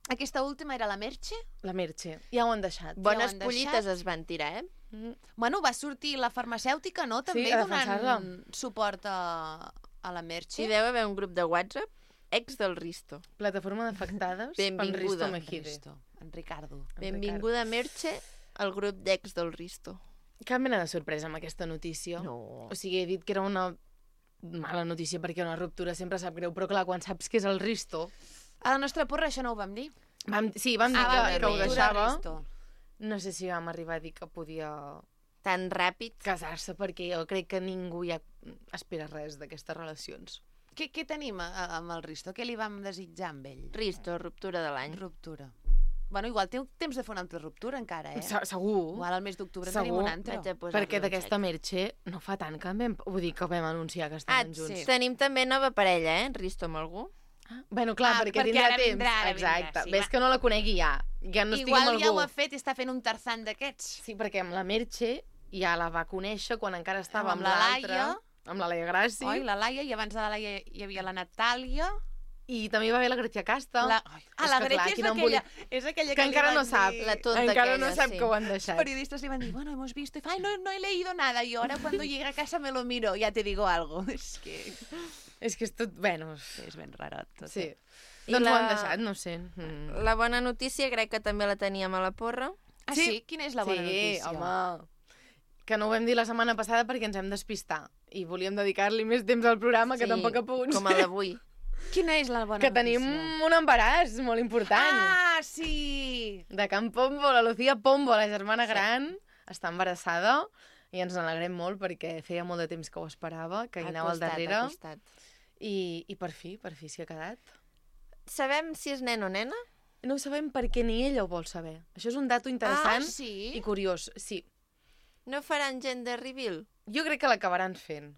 Aquesta última era la Merche. La Merche. Ja ho han deixat. Bones han pollites deixat. es van tirar, eh? Mm. Bueno, va sortir la farmacèutica, no? També a donant defensar-la. suport a, a la Merche. Hi deu haver un grup de WhatsApp ex del Risto. Plataforma d'afectades pel Benvinguda. Risto Mejide. Risto, en Ricardo. Benvinguda, Merche, al grup d'ex del Risto. Cap mena de sorpresa amb aquesta notícia. No. O sigui, he dit que era una mala notícia perquè una ruptura sempre sap greu, però clar, quan saps que és el Risto... A la nostra porra això no ho vam dir. Vam, sí, vam dir Ah, que, va, que ho ruptura, deixava. Risto. No sé si vam arribar a dir que podia Tan ràpid. casar-se, perquè jo crec que ningú ja espera res d'aquestes relacions. Què, què tenim a, a, amb el Risto? Què li vam desitjar amb ell? Risto, ruptura de l'any. Ruptura. Bueno, igual té temps de fer una altra ruptura encara, eh? Se- Segur. Igual al mes d'octubre en Segur. tenim una altra. Vaig a posar-li Perquè un d'aquesta xec. Merche no fa tant que vam, vull dir, que vam anunciar que Ah, estaven junts. sí. tenim també nova parella, eh? Risto amb algú. Bueno, clar, Ah, perquè, perquè tindrà ara temps. vindrà, ara vindrà, Exacte. sí, Ves va. que no la conegui ja. Ja no estigui Igual amb ja algú. ho ha fet i està fent un tarzan d'aquests. Sí, perquè amb la Merche ja la va conèixer quan encara estava Amb amb, la l'altra. Laia. Amb la Laia Grassi. Oi, la Laia, i abans de la Laia hi havia la Natàlia. I també hi va haver la Gracia Casta. La... Ai, ah, És la que, Grecia clar, és quin aquella, embolic. és aquella Que que, li encara van no sap. dir- La tonta Encara aquella, no sap sí. que ho han Los deixat. periodistas le van a decir, bueno, hemos visto, y ay, no, no he leído nada, y ahora cuando llegue a casa me lo miro, ya te digo algo. És que És que és tot... Bueno, és ben rarot. Tot, sí. eh? I Doncs la- ho han deixat, no sé. Mm. La bona notícia crec que també la teníem a la porra. Ah, sí? Quina és la bona sí, notícia? home. que no ho vam dir la setmana passada perquè ens hem despistat i volíem dedicar-li més temps al programa que Sí, tampoc ha pogut com a d'avui. Quina és la bona Que notícia? tenim un embaràs molt important. Ah, sí! De Can Pombo, la Lucía Pombo, la germana gran, està embarassada i ens n'alegrem molt perquè feia molt de temps que ho esperava, que hi Ha anava al costat, darrere. ha costat. I, I per fi, per fi s'hi ha quedat. Sabem si és nen o nena? No ho sabem perquè ni ella ho vol saber. Això és un dato interessant Ah, sí? i curiós. Sí, No faran gender reveal? jo crec que l'acabaran fent.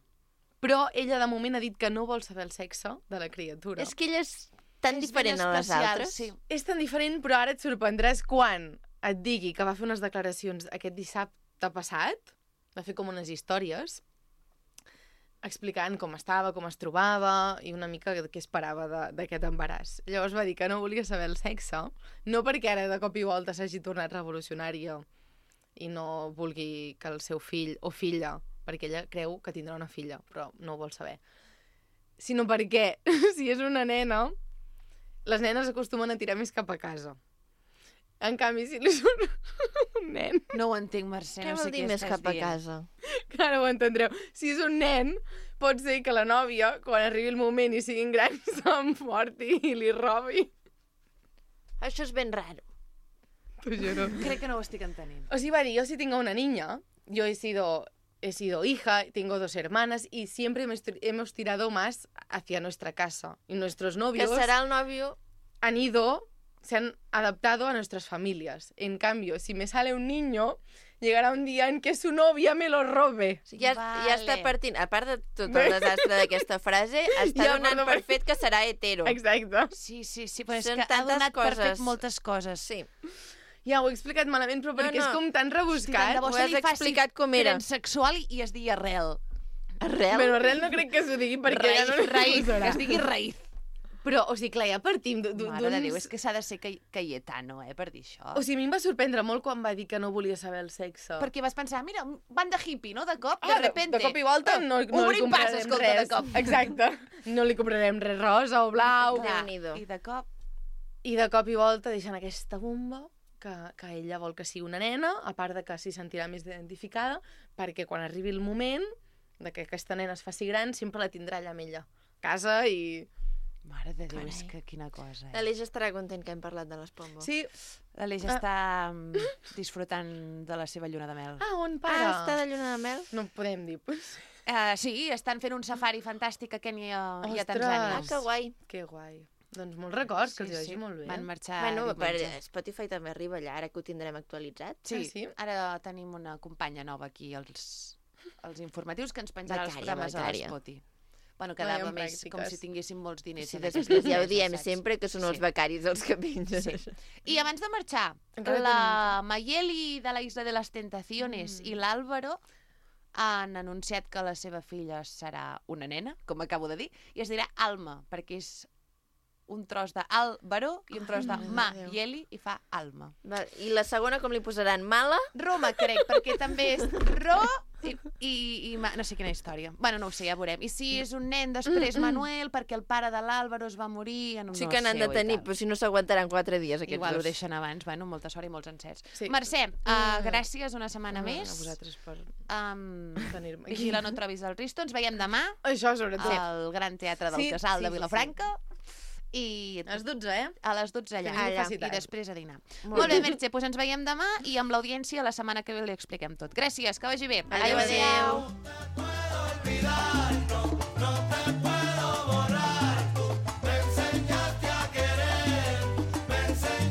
Però ella de moment ha dit que no vol saber el sexe de la criatura. És que ella és tan És ben diferent a les especial, altres. sí. És tan diferent, però ara et sorprendràs quan et digui que va fer unes declaracions aquest dissabte passat, va fer com unes històries, explicant com estava, com es trobava i una mica què esperava de- d'aquest embaràs. Llavors va dir que no volia saber el sexe, no perquè ara de cop i volta s'hagi tornat revolucionària i no vulgui que el seu fill o filla, perquè ella creu que tindrà una filla, però no ho vol saber, sinó perquè si és una nena, les nenes acostumen a tirar més cap a casa. En canvi, si és un, un nen... No ho entenc, Mercè, Què no vol sé dir què més estàs cap a dient. casa? Que ara ho entendreu. Si és un nen, pot ser que la nòvia, quan arribi el moment i siguin grans, s'emporti i li robi. Això és ben raro. T'ho juro. Crec que no ho estic entenent. O sigui, va dir, yo si tengo una niña, yo he sido, he sido hija, tengo dos hermanas y siempre hemos tir- hemos tirado más hacia nuestra casa. Y nuestros Que novios serà el nòvio... han ido, se han adaptado a nuestras familias. En cambio, si me sale un niño, llegará un día en que su novia me lo robe. O sigui, ja, Vale. ja està partint, a part de tot el desastre d'aquesta frase, està Ja, donant però- per fet que serà hetero. Exacte. Sí, sí, sí, però és Són que ha tantes donat per fet coses. moltes coses. Sí. Ja ho he explicat malament, però perquè no. és com tan rebuscat. de bo se li faci explicat com era. Transsexual i es digui arrel. Arrel? Però arrel no crec que s'ho digui perquè ja no li raïz, posarà. que es digui raïz. Però, o sigui, clar, ja partim d'un... Mare de Déu, és que s'ha de ser Cay- Cayetano, eh, per dir això. O sigui, a mi em va sorprendre molt quan va dir que no volia saber el sexe. Perquè vas pensar, mira, van de hippie, no? De cop, de Ah, de, repente. de cop i volta no, no li Obrim pas, comprarem escolta, res. de cop. Exacte. No li comprarem res rosa o blau. Clar, Déu-n'hi-do. I de cop... I de cop i volta deixen aquesta bomba que, que ella vol que sigui una nena, a part de que s'hi sentirà més identificada, perquè quan arribi el moment de que aquesta nena es faci gran, sempre la tindrà allà amb ella. Casa i... Mare de Déu, Carai. és que quina cosa, eh? L'Aleix estarà content que hem parlat de les pombos. Sí. L'Aleix Ah. està mm, disfrutant de la seva lluna de mel. Ah, on Ah, para? està de lluna de mel? No podem dir. Uh, sí, estan fent un safari fantàstic a Kenya i a Ostres. Tanzània. Ah, que guai. Que guai. Doncs molts records, que els hi vagi molt bé. Van marxar Bueno, per diumenge. Spotify també arriba allà, ara que ho tindrem actualitzat. Sí, Ah, sí? ara tenim una companya nova aquí als, als informatius que ens penjarà els Becària, programes becària. a l'Spoti. Bueno, quedava Veiem més pràctiques. com si tinguéssim molts diners. Sí, en després aquestes ja ho empreses, diem saps? sempre, que són els Sí. becaris els que pengen. Sí. I abans de marxar, Encara la Mayeli de la Isla de les Tentaciones Mm. i l'Àlvaro han anunciat que la seva filla serà una nena, com acabo de dir, i es dirà Alma, perquè és un tros d'Àlvaro i un tros de Ai, Mayeli i fa Alma. Va, I la segona com li posaran? Mala? Roma, crec, perquè també és Ro i, i, i ma... no sé quina història. Bueno, no ho sé, ja veurem. I si és un nen, després Manuel, perquè el pare de l'Àlvaro es va morir en un Sí que n'han de tenir, però si no s'aguantaran quatre dies aquests Igual ho dos. deixen abans. Bueno, molta sort i molts encerts. Sí. Mercè, uh, gràcies una setmana No, més. A vosaltres per Um, tenir-me aquí. vigila, no trobis el Risto. Ens veiem demà Això, sobretot. al Gran Teatre del Sí, Casal sí, de sí, Vilafranca. I A les dotze, eh? a les dotze allà. Que vingui allà. facitant. I després a dinar. Molt Molt bé, bé. Mercè, doncs ens veiem demà i amb l'audiència la setmana que ve li expliquem tot. Gràcies, que vagi bé. Adéu, adéu.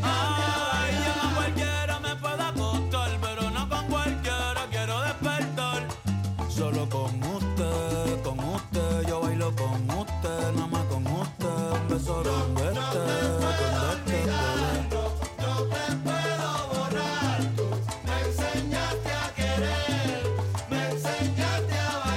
Ay, yo con cualquiera me puedo acostar, pero no con cualquiera quiero despertar. Solo con usted, con usted, yo bailo con usted, nada más con usted, un beso donde esté, donde esté, bebé. Me enseñaste a querer, me enseñaste a bailar.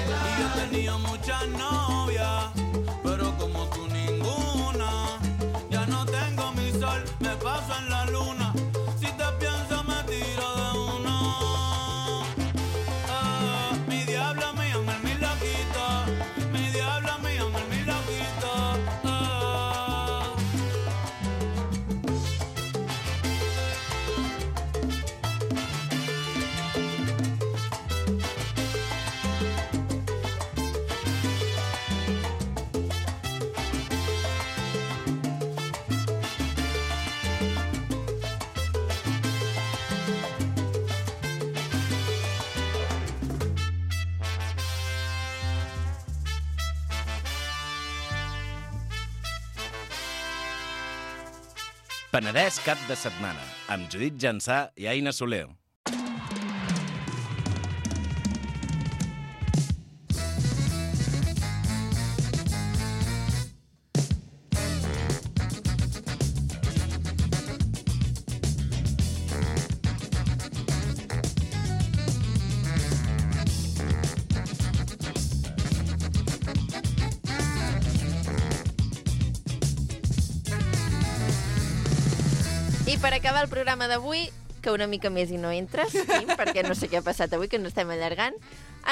Penedès cap de setmana, amb Judit Jansà i Aina Soler. I per acabar el programa d'avui, que una mica més i no entres, Quim, perquè no sé què ha passat avui, que no estem allargant,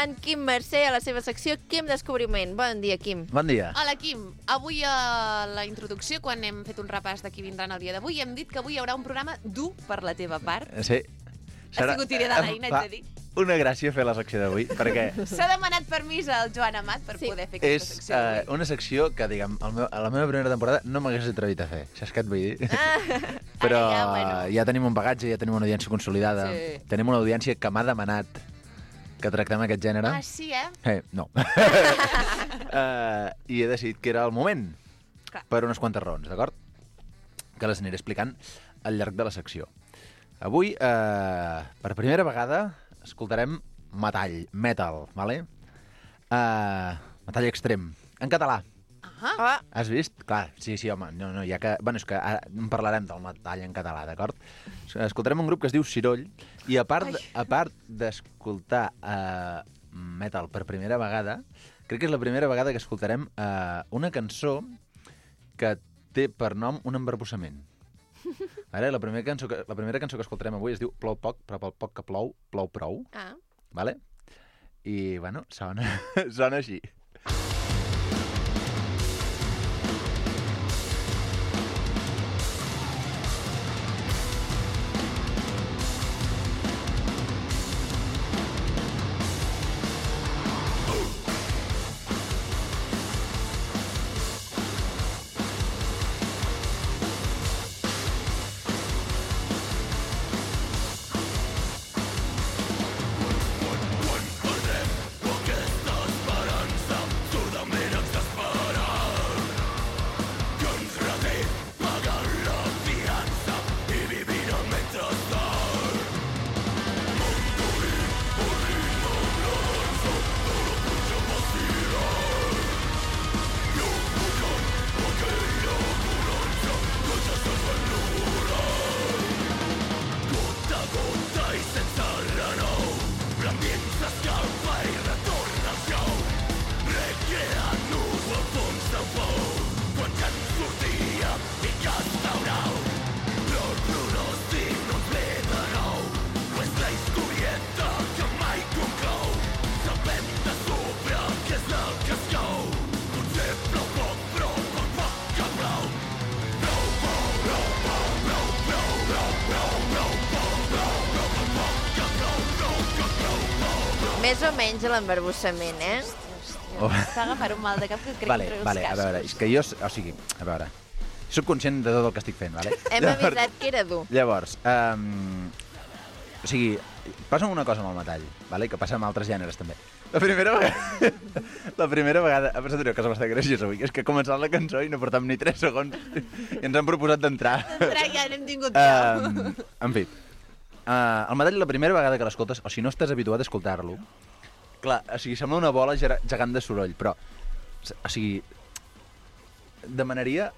en Quim Mercè, a la seva secció Quim Descobriment. Bon dia, Quim. Bon dia. Hola, Quim. Avui a la introducció, quan hem fet un repàs de qui vindran el dia d'avui, hem dit que avui hi haurà un programa dur per la teva part. Sí. Ha sigut idea de l'Aina, haig de dir. Una gràcia fer la secció d'avui, perquè S'ha demanat permís al Joan Amat per sí. poder fer aquesta és secció uh, d'avui. una secció que, diguem, el meu, a la meva primera temporada no m'hagués atrevit a fer. Saps què et vull dir? Ah, Però ja, bueno. ja tenim un bagatge, ja tenim una audiència consolidada. Sí. Tenim una audiència que m'ha demanat que tractem aquest gènere. Ah, sí, eh? Eh, no. uh, I he decidit que era el moment. Clar. Per unes quantes raons, d'acord? Que les aniré explicant al llarg de la secció. Avui, uh, per primera vegada, escoltarem metall, metal, vale? Uh, metall extrem, en català. Ah. Has vist? Clar, sí, sí, home, no, no, ja que... Bueno, és que ara en parlarem del metall en català, d'acord? Escoltarem un grup que es diu Ciroll, i a part, a part d'escoltar uh, metal per primera vegada, crec que és la primera vegada que escoltarem uh, una cançó que té per nom un embarbussament. Ara, la primera cançó que, la primera cançó que escoltarem avui es diu Plou poc, però pel poc que plou, plou prou. Ah. Vale? I, bueno, sona, sona així. Més o menys l'embarbussament, eh? Oh. Està agafant un mal de cap que crec vale, entre els vale, cascos. a veure, és que jo... O sigui, a veure... Soc conscient de tot el que estic fent, vale? Hem llavors, avisat que era dur. Llavors, um, o sigui, passa una cosa amb el metall, vale? Que passa amb altres gèneres, també. La primera vegada... la primera vegada... Ha passat una cosa bastant graciosa avui, que és que ha començat la cançó i no portam ni tres segons i ens han proposat d'entrar. D'entrar ja n'hem tingut prou. Um, en fi, uh, el metall la primera vegada que l'escoltes, o si no estàs habituat a escoltar-lo, clar, o sigui, sembla una bola gegant de soroll, però, o sigui, demanaria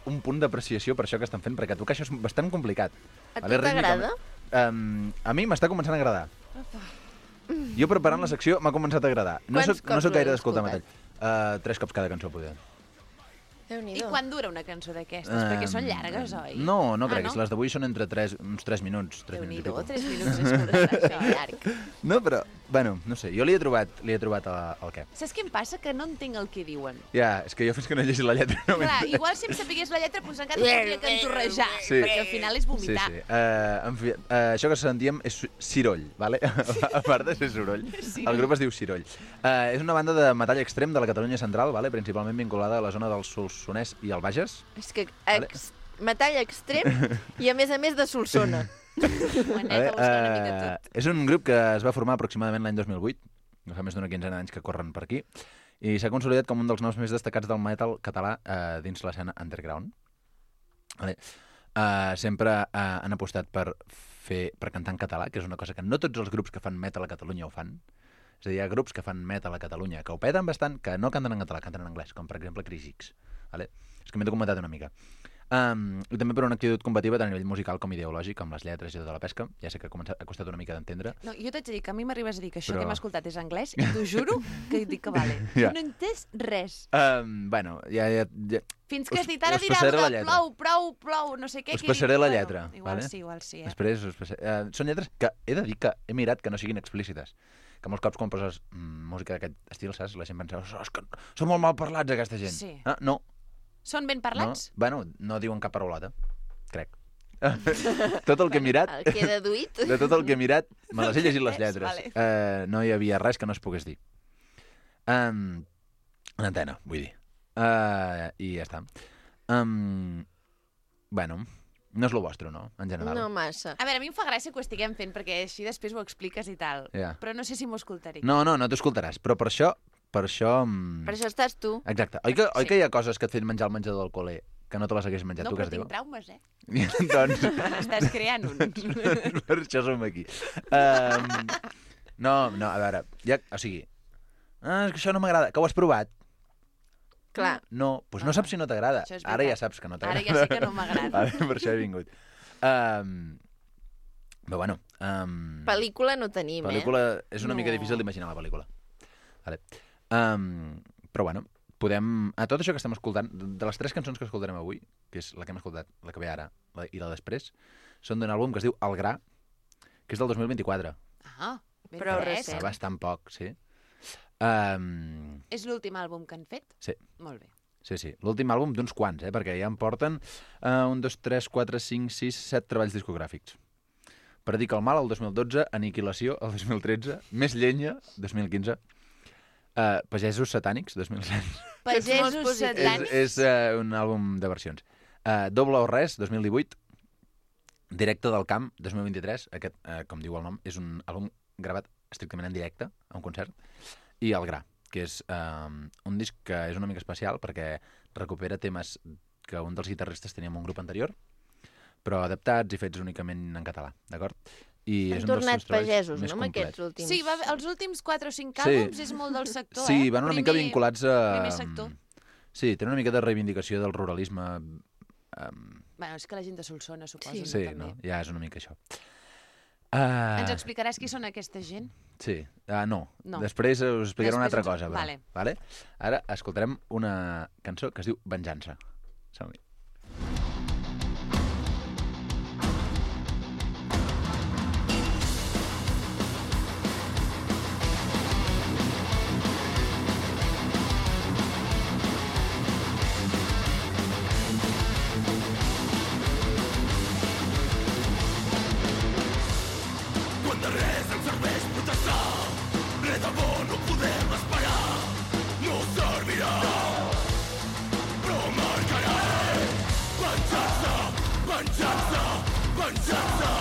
un punt d'apreciació per això que estan fent, perquè tu que això és bastant complicat. A tu t'agrada? Um, a mi m'està començant a agradar. Jo preparant la secció m'ha començat a agradar. No soc, no soc gaire d'escoltar metall. Uh, tres cops cada cançó, poder. I quan dura una cançó d'aquestes? Um, Perquè són llargues, oi? No, no ah, crec. No? Les d'avui són entre tres, uns tres minuts. Déu-n'hi-do, tres minuts és curt, això, llarg. No, però, bueno, no sé, jo li he trobat, li he trobat el, el què. Saps què em passa? Que no entenc el que diuen. Ja, és que jo fins que no he llegit la lletra... No Clar, igual si em sapigués la lletra, doncs encara podria cantorrejar, sí. perquè al final és vomitar. Sí, sí. Uh, en fi, uh, això que sentíem és Ciroll, vale? A part de ser soroll. Sí. El grup es diu Ciroll. Uh, és una banda de metall extrem de la Catalunya central, vale? Principalment vinculada a la zona del Solsonès i el Bages. És que ex, metall extrem i a més a més de Solsona. Vale, uh, és un grup que es va formar aproximadament l'any dos mil vuit, fa més d'una quinzena d'anys que corren per aquí, i s'ha consolidat com un dels noms més destacats del metal català uh, dins l'escena underground. Vale. uh, sempre uh, han apostat per fer per cantar en català, que és una cosa que no tots els grups que fan metal a Catalunya ho fan. És a dir, hi ha grups que fan metal a Catalunya que ho peten bastant, que no canten en català, canten en anglès, com per exemple Crisix. Vale? És que m'he documentat una mica. Um, I també per una actitud combativa tant a nivell musical com ideològic, amb les lletres i tota la pesca. Ja sé que ha, començat, ha costat una mica d'entendre. No, jo t'haig de dir que a mi m'arribes a dir que això Però... que hem escoltat és anglès i t'ho juro que dic que vale. Ja. No he entès res. Um, bueno, ja... ja, ja... Fins que us, has dit, ara us dirà passaré la de lletra. plou, prou, plou, no sé què. Us que he passaré dit, la bueno, lletra. Igual vale? sí, igual sí. Eh? Després us passaré... Uh, són lletres que he de dir que he mirat que no siguin explícites. Que molts cops quan poses mm, música d'aquest estil, saps? La gent pensa, oh, és que són molt mal parlats aquesta gent. Sí. Ah, no. Són ben parlats? No. Bueno, no diuen cap paraulata, crec. Tot el que he mirat... El que he deduït. De tot el que he mirat, me les he llegit les lletres. Vale. Uh, no hi havia res que no es pogués dir. Um, una antena, vull dir. Uh, I ja està. Um, bueno, no és lo vostre, no? En general. No massa. A veure, a mi em fa gràcia que ho estiguem fent perquè així després ho expliques i tal. Ja. Però no sé si m'ho escoltaré. No, no, no t'ho escoltaràs, però per això... Per això... Um... Per això estàs tu. Exacte. Oi que, oi Sí. que hi ha coses que et fan menjar al menjador del col·le que no te les hagués menjat No, tu, que però es diu? tinc traumes, eh? doncs... N'estàs creant un. Per això som aquí. Um, no, no, a veure, ja, o sigui... Ah, és que això no m'agrada. Que ho has provat? Clar. No, doncs no saps si no t'agrada. Això és Ara ja veritat. saps que no t'agrada. Ara ja sé que no m'agrada. Vale, per això he vingut. Um, però bueno... Um, Pel·lícula no tenim, pel·lícula, eh? és una No. mica difícil d'imaginar la pel·lícula. Vale. Um, però bueno, podem... A tot això que estem escoltant, de les tres cançons que escoltarem avui, que és la que hem escoltat, la que ve ara la, i la després, són d'un àlbum que es diu El Gra, que és del dos mil vint-i-quatre. Ah, ben Però fresc. Fa bastant poc, sí. Um, És l'últim àlbum que han fet? sí. Molt bé. Sí, sí. L'últim àlbum d'uns quants, eh? Perquè ja en porten uh, un, dos, tres, quatre, cinc, sis, set treballs discogràfics. Predica el mal, el dos mil dotze, Aniquilació, el dos mil tretze, Més llenya, dos mil quinze, uh, Pagesos satànics, dos mil set. Pagesos És, satànics? és uh, un àlbum de versions. Uh, Doble o res, dos mil divuit, Directe del camp, dos mil vint-i-tres, aquest, uh, com diu el nom, és un àlbum gravat estrictament en directe, a un concert, i El Gra, que és um, un disc que és una mica especial perquè recupera temes que un dels guitarristes tenia en un grup anterior, però adaptats i fets únicament en català, d'acord? I Han és un dels tornat seus treballs pagesos, més no, amb complets. aquests últims? Sí, va, els últims quatre o cinc Sí. àlbums és molt del sector, Sí, eh? van una primer, mica vinculats a... Primer sector. Sí, tenen una mica de reivindicació del ruralisme. Um... Bueno, és que la gent de Solsona, suposo. Sí, no, sí també. no? Ja és una mica això. Uh... Ens explicaràs qui són aquesta gent? Sí, uh, no. No. Després us explicaré una altra Després ens- cosa. Però, vale. vale? Ara escoltarem una cançó que es diu Venjança. Som-hi. Quan de res ens serveix protestar, res de bo no podem esperar. No servirà, però marcarà. Venjança, venjança, venjança.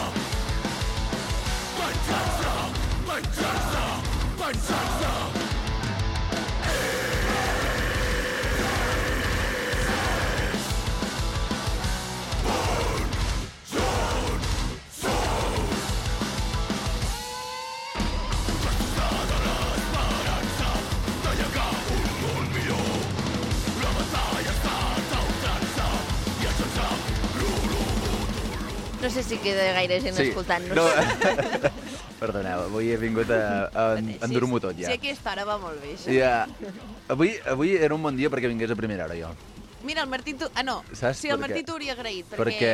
Venjança, venjança, venjança. No sé si queda gaire gent Sí. escoltant-nos. No. Perdoneu, avui he vingut a, a endur-m'ho tot ja. Sí, aquesta hora va molt bé, això. Ja. Avui, avui era un bon dia perquè vingués a primera hora, jo. Mira, el Martí... Tu... Ah, no. Saps Sí, el per Martí què? t'ho hauria agraït, Perquè...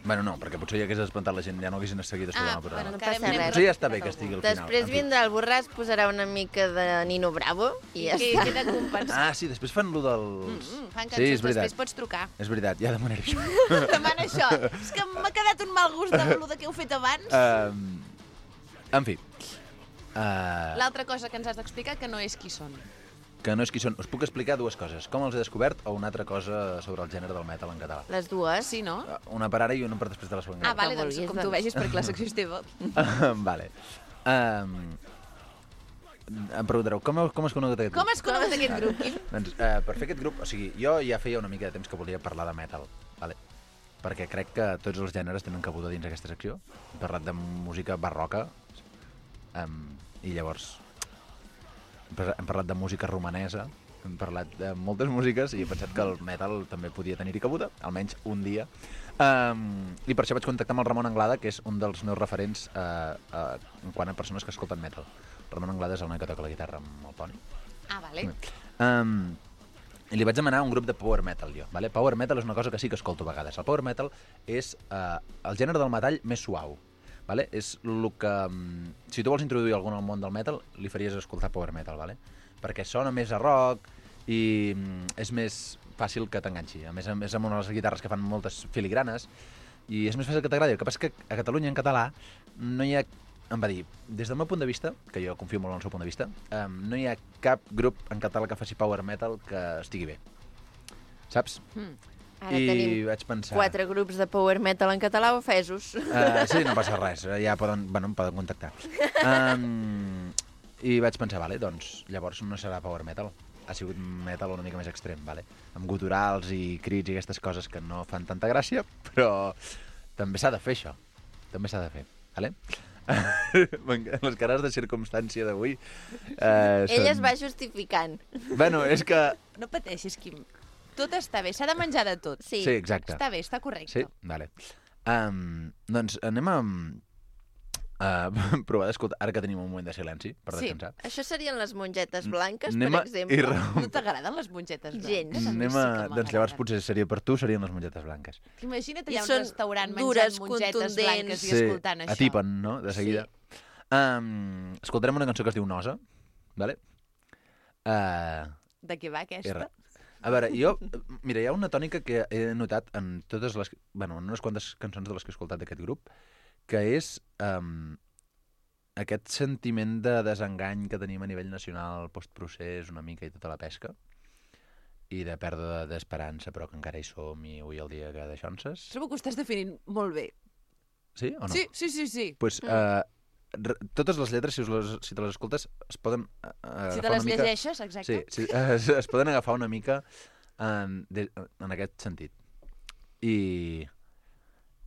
bueno, no, perquè potser ja hagués espantat la gent, ja no haguessin seguit escoltant Ah, el programa. bueno, no passa res. Potser ja està bé que estigui al final. Després en fi. vindrà el Borràs, posarà una mica de Nino Bravo i ja que està. queda compensat. Ah, sí, després fan lo del... Mm, mm, fan Sí, cançons, és veritat. després pots trucar. És veritat, ja demanaré això. Demana això. És que m'ha quedat un mal gust amb el que heu fet abans. um, en fi. Uh, L'altra cosa que ens has d'explicar que no és qui són. que no és qui són. Us puc explicar dues coses. Com els he descobert o una altra cosa sobre el gènere del metal en català. Les dues? Sí, no? Una per ara i una per després de la segona. Ah, vale, Com doncs vulguis, com tu doncs. vegis, perquè la secció és teva. vale. Um, em preguntareu, com, com has conegut aquest grup? Com has conegut aquest grup, Quim? Doncs, uh, per fer aquest grup, o sigui, jo ja feia una mica de temps que volia parlar de metal. vale? Perquè crec que tots els gèneres tenen cabuda dins aquesta secció. Hem parlat de música barroca, um, i llavors hem parlat de música romanesa, hem parlat de moltes músiques i he pensat que el metal també podia tenir-hi cabuda, almenys un dia. Um, I per això vaig contactar amb el Ramon Anglada, que és un dels meus referents uh, uh, en quant a persones que escolten metal. El Ramon Anglada és el noi que toca la guitarra amb el Poni. Ah, vale. Um, I li vaig demanar un grup de power metal, jo. Vale? Power metal és una cosa que sí que escolto a vegades. El power metal és uh, el gènere del metall més suau. Vale? És el que... Um, si tu vols introduir algun al món del metal, li faries escoltar power metal, vale? Perquè sona més a rock i um, és més fàcil que t'enganxi. A més, a més amb unes guitarres que fan moltes filigranes i és més fàcil que t'agradi. El que passa és que a Catalunya, en català, no hi ha... Em va dir, des del meu punt de vista, que jo confio molt en el seu punt de vista, um, no hi ha cap grup en català que faci power metal que estigui bé. Saps? Mm. Ara I tenim vaig pensar... quatre grups de power metal en català ofesos. Uh, sí, no passa res, ja poden, bueno, em poden contactar. Um, I vaig pensar, vale, doncs llavors no serà power metal. Ha sigut metal una mica més extrem, vale? Amb guturals i crits i aquestes coses que no fan tanta gràcia, però també s'ha de fer això. També s'ha de fer, vale? Les cares de circumstància d'avui eh, Ell es va justificant. Bueno, és que... No pateixis, Quim. Tot està bé, s'ha de menjar de tot. Sí, sí, exacte. Està bé, està correcte. Sí, vale. Um, doncs anem a uh, provar d'escoltar, ara que tenim un moment de silenci per sí. descansar. Això serien les mongetes blanques, anem per exemple. I ra... No t'agraden les mongetes blanques? Gens. Anem a... Sí doncs llavors potser seria per tu, serien les mongetes blanques. Imagina't allà un restaurant dures, menjant mongetes blanques i sí, escoltant això. atipen, no?, de seguida. Sí. Um, escoltarem una cançó que es diu Nosa, vale? Uh, de què va aquesta? A veure, jo... Mira, hi ha una tònica que he notat en totes les... Bueno, en unes quantes cançons de les que he escoltat d'aquest grup, que és um, aquest sentiment de desengany que tenim a nivell nacional, postprocés, una mica i tota la pesca, i de pèrdua d'esperança, però que encara hi som i avui el dia que deixonses. Trobo que ho estàs definint molt bé. Sí o no? Sí, sí, sí. sí. Pues, uh, totes les lletres, si, us les, si te les escoltes, es poden uh, si agafar te les una mica... llegeixes, exacte. Sí, sí uh, es, es poden agafar una mica en, de, en aquest sentit. I,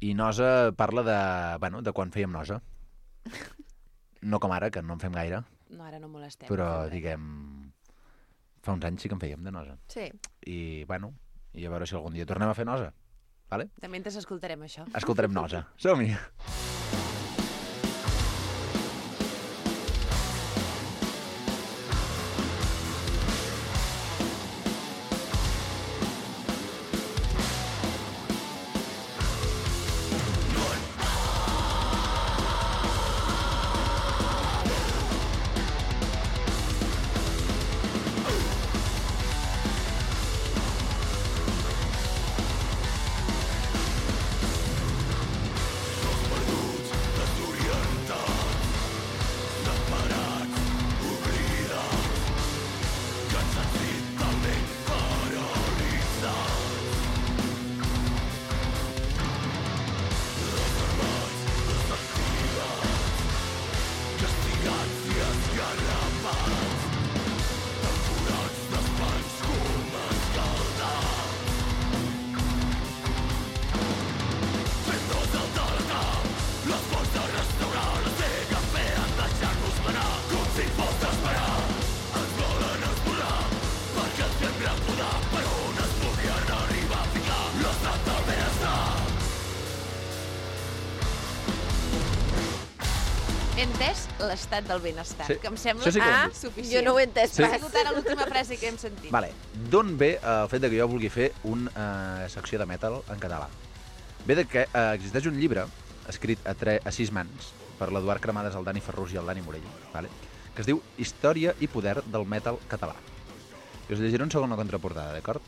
i Nosa parla de, bueno, de quan fèiem Nosa. No com ara, que no en fem gaire. No, ara no molestem. Però, diguem, fa uns anys sí que en fèiem de Nosa. Sí. I, bueno, i a veure si algun dia tornem a fer Nosa. Vale? De mentre escoltarem això. Escoltarem Nosa. Som-hi! entès l'estat del benestar, Sí. que em sembla Això sí que ho hem ah, dit. suficient. Jo no ho he entès Sí. Ha pas. sigut ara l'última frase que hem sentit. Vale. D'on ve eh, el fet de que jo vulgui fer una uh, secció de metal en català? Ve de que uh, existeix un llibre escrit a, tre a sis mans per l'Eduard Cremades, el Dani Ferrús i el Dani Morell, vale? Que es diu Història i poder del metal català. I us llegiré un segon la contraportada, d'acord?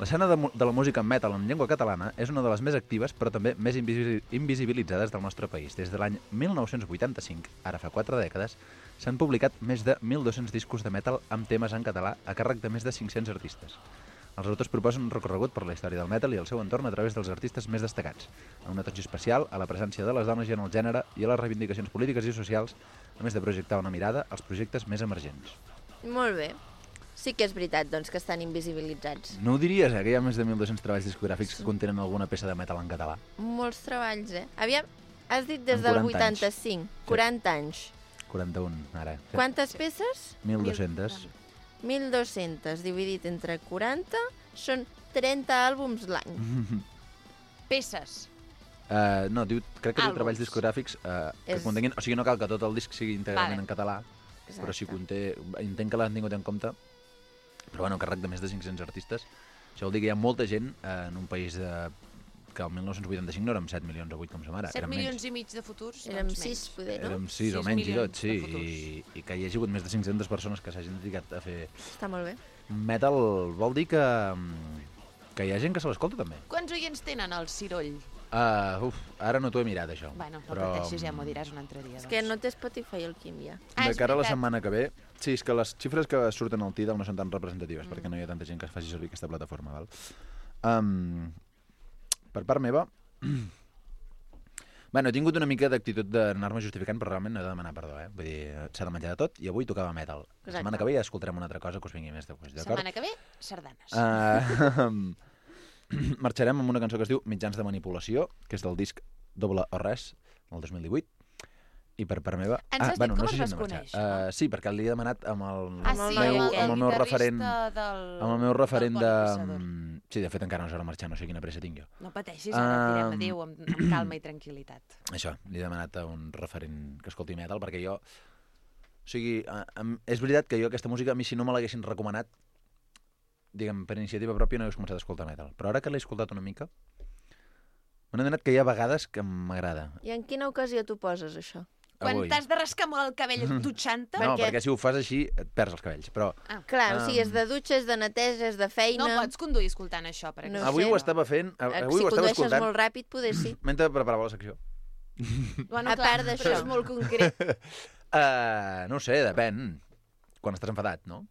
L'escena de, de la música metal en llengua catalana és una de les més actives però també més invisi invisibilitzades del nostre país. Des de l'any mil nou-cents vuitanta-cinc, ara fa quatre dècades, s'han publicat més de mil dos-cents discos de metal amb temes en català a càrrec de més de cinc-cents artistes. Els autors proposen un recorregut per la història del metal i el seu entorn a través dels artistes més destacats, amb una atenció especial a la presència de les dones i en el gènere i a les reivindicacions polítiques i socials, a més de projectar una mirada als projectes més emergents. Molt bé. Sí que és veritat, doncs, que estan invisibilitzats. No ho diries, eh, que hi ha més de mil dos-cents treballs discogràfics que contenen alguna peça de metal en català? Molts treballs, eh? Aviam, has dit des En del quaranta anys. vuitanta-cinc, quaranta anys. quaranta-un, ara. Sí. Quantes peces? mil dos-cents. mil dos-cents dividit entre quaranta són trenta àlbums l'any. Peces. Uh, no, diu, crec que diu Àlbums. treballs discogràfics uh, que És- contenguin... O sigui, no cal que tot el disc sigui íntegrament Vale. en català, però si conté... Entenc que l'han tingut en compte, però bueno, càrrec de més de cinc-cents artistes. Això vol dir que hi ha molta gent eh, en un país de, que el mil nou-cents vuitanta-cinc no érem set milions o vuit com som ara. set érem milions menys. i mig de futurs? Érem doncs sis, menys. poder, no? Érem sis o sis menys i milions tot, sí. de futurs. I, I que hi hagi hagut més de cinc-centes persones que s'hagin dedicat a fer Està molt bé. metal vol dir que, que hi ha gent que se l'escolta també. Quants oients tenen el Ciroll? Uh, uf, ara no t'ho he mirat, això. Bueno, no però, pateixis, ja m'ho diràs un altre dia. És que no té Spotify el Quim ja. Ah, de és cara a la veritat. setmana que ve... Sí, és que les xifres que surten al Tidal no són tan representatives, mm. perquè no hi ha tanta gent que faci servir aquesta plataforma. Val? Um, per part meva... Bueno, he tingut una mica d'actitud d'anar-me justificant, però realment no he de demanar perdó, eh? Vull dir, s'ha de menjar de tot, i avui tocava metal. La Exacte. setmana que ve ja escoltarem una altra cosa que us vingui més de gust, d'acord? Setmana que ve, sardanes. Uh, marxarem amb una cançó que es diu Mitjans de manipulació, que és del disc Doble o Res, del dos mil divuit. I per part meva... Ens has dit com no els sé si vas hem de marxar. conèixer, Uh, sí, perquè li he demanat amb el, Ah, sí, meu, amb el- amb el el meu guitarrista referent... del- amb el meu referent del de... Bonipissador. Sí, de fet encara no és hora de marxar, no sé quina pressa tinc jo. No pateixis, ara et direm Um, adéu amb, amb calma i tranquil·litat. Això, li he demanat a un referent que escolti metal, perquè jo... O sigui, a, a, és veritat que jo aquesta música, a mi si no me l'haguessin recomanat, diguem, per iniciativa pròpia no hagués començat a escoltar metal. Però ara que l'he escoltat una mica, m'he adonat que hi ha vegades que m'agrada. I en quina ocasió tu poses això? Quan Avui. t'has de rascar molt el cabell dutxant-te... No, perquè si ho fas així et perds els cabells, però... Ah. Clar, o sigui, és Um, de dutxa, és de neteja, és de feina... No pots conduir escoltant això, per No exemple. Avui sé. ho estava fent, a- Eh, avui si ho estava condueixes escoltant... molt ràpid, poder sí. Mentre preparava la secció. Bueno, A clar, part d'això. però és molt concret. Uh, no ho sé, depèn. Quan estàs enfadat, no?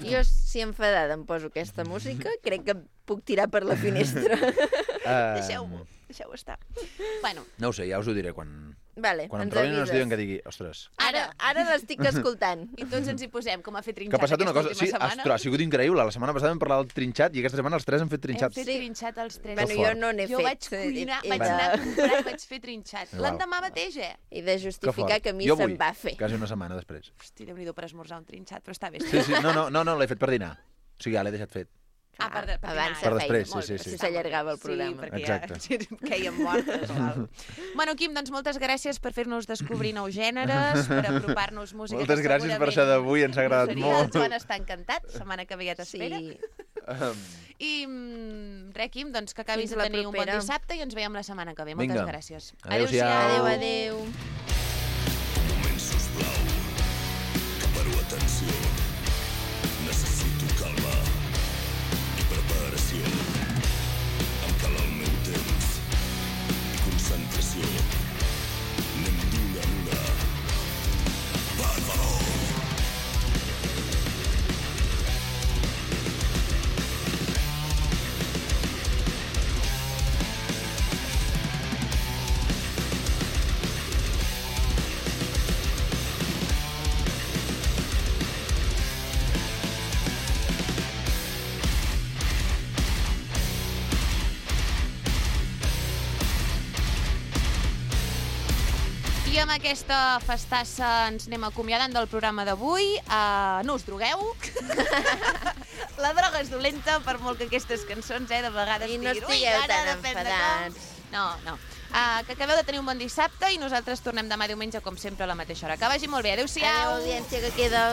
Jo, si enfadada em poso aquesta música, crec que puc tirar per la finestra. Uh, Deixeu-ho, deixeu-ho estar. Bueno, No ho sé, ja us ho diré quan, Vale, quan em ens trobin i no es avises. diuen que digui, ostres, Ara, ara l'estic escoltant. i tots ens hi posem, com a fer que trinxat ha passat una cosa... aquesta Sí, última setmana. ostres, ha sigut increïble. La setmana passada vam parlar del trinxat i aquesta setmana els tres hem fet Hem trinxat. fet trinxat els tres. Bueno, Que jo fort. no n'he Jo fet. vaig cuinar, He vaig de- anar a comprar i vaig fer trinxat. Val. L'endemà mateix, eh? He de Que justificar fort. que a mi Jo se'm vull, va fer. Quasi una setmana després. Hosti, Déu-n'hi-do per esmorzar un trinxat, però està bé. Sí, sí, no, no, no, no l'he fet per dinar. O sigui, ja l'he deixat fet. Ah, per, per Abans dinar, de eh? Per després, Molt sí, bé, sí, sí. Si s'allargava el Sí, programa. perquè Exacte. ja quèiem mortes o alguna cosa. Bueno, Quim, doncs moltes gràcies per fer-nos descobrir nous gèneres, per apropar-nos música. Moltes que gràcies per segurament això d'avui, ens ha agradat seria. molt. El Joan està encantat, setmana que ve ja t'espera. Sí. Um, I mm, res, Quim, doncs que acabis Fins de la tenir un bon propera. dissabte i ens veiem la setmana que ve. Moltes Vinga. gràcies. Adéu-siau. Adéu, adéu. moment, sisplau, que paro atenció. Necessito calma i preparació. Em cal el meu temps i concentració. Anem d'una en una. Per favor. I amb aquesta festassa ens anem acomiadant del programa d'avui. Uh, no us drogueu. La droga és dolenta, per molt que aquestes cançons, eh, de vegades I no diguin, estigueu "Ui, tan ara depèn de com". enfadats. No, no. Uh, que acabeu de tenir un bon dissabte i nosaltres tornem demà diumenge, com sempre, a la mateixa hora. Que vagi molt bé. Adéu-siau. Adéu, audiència que queda.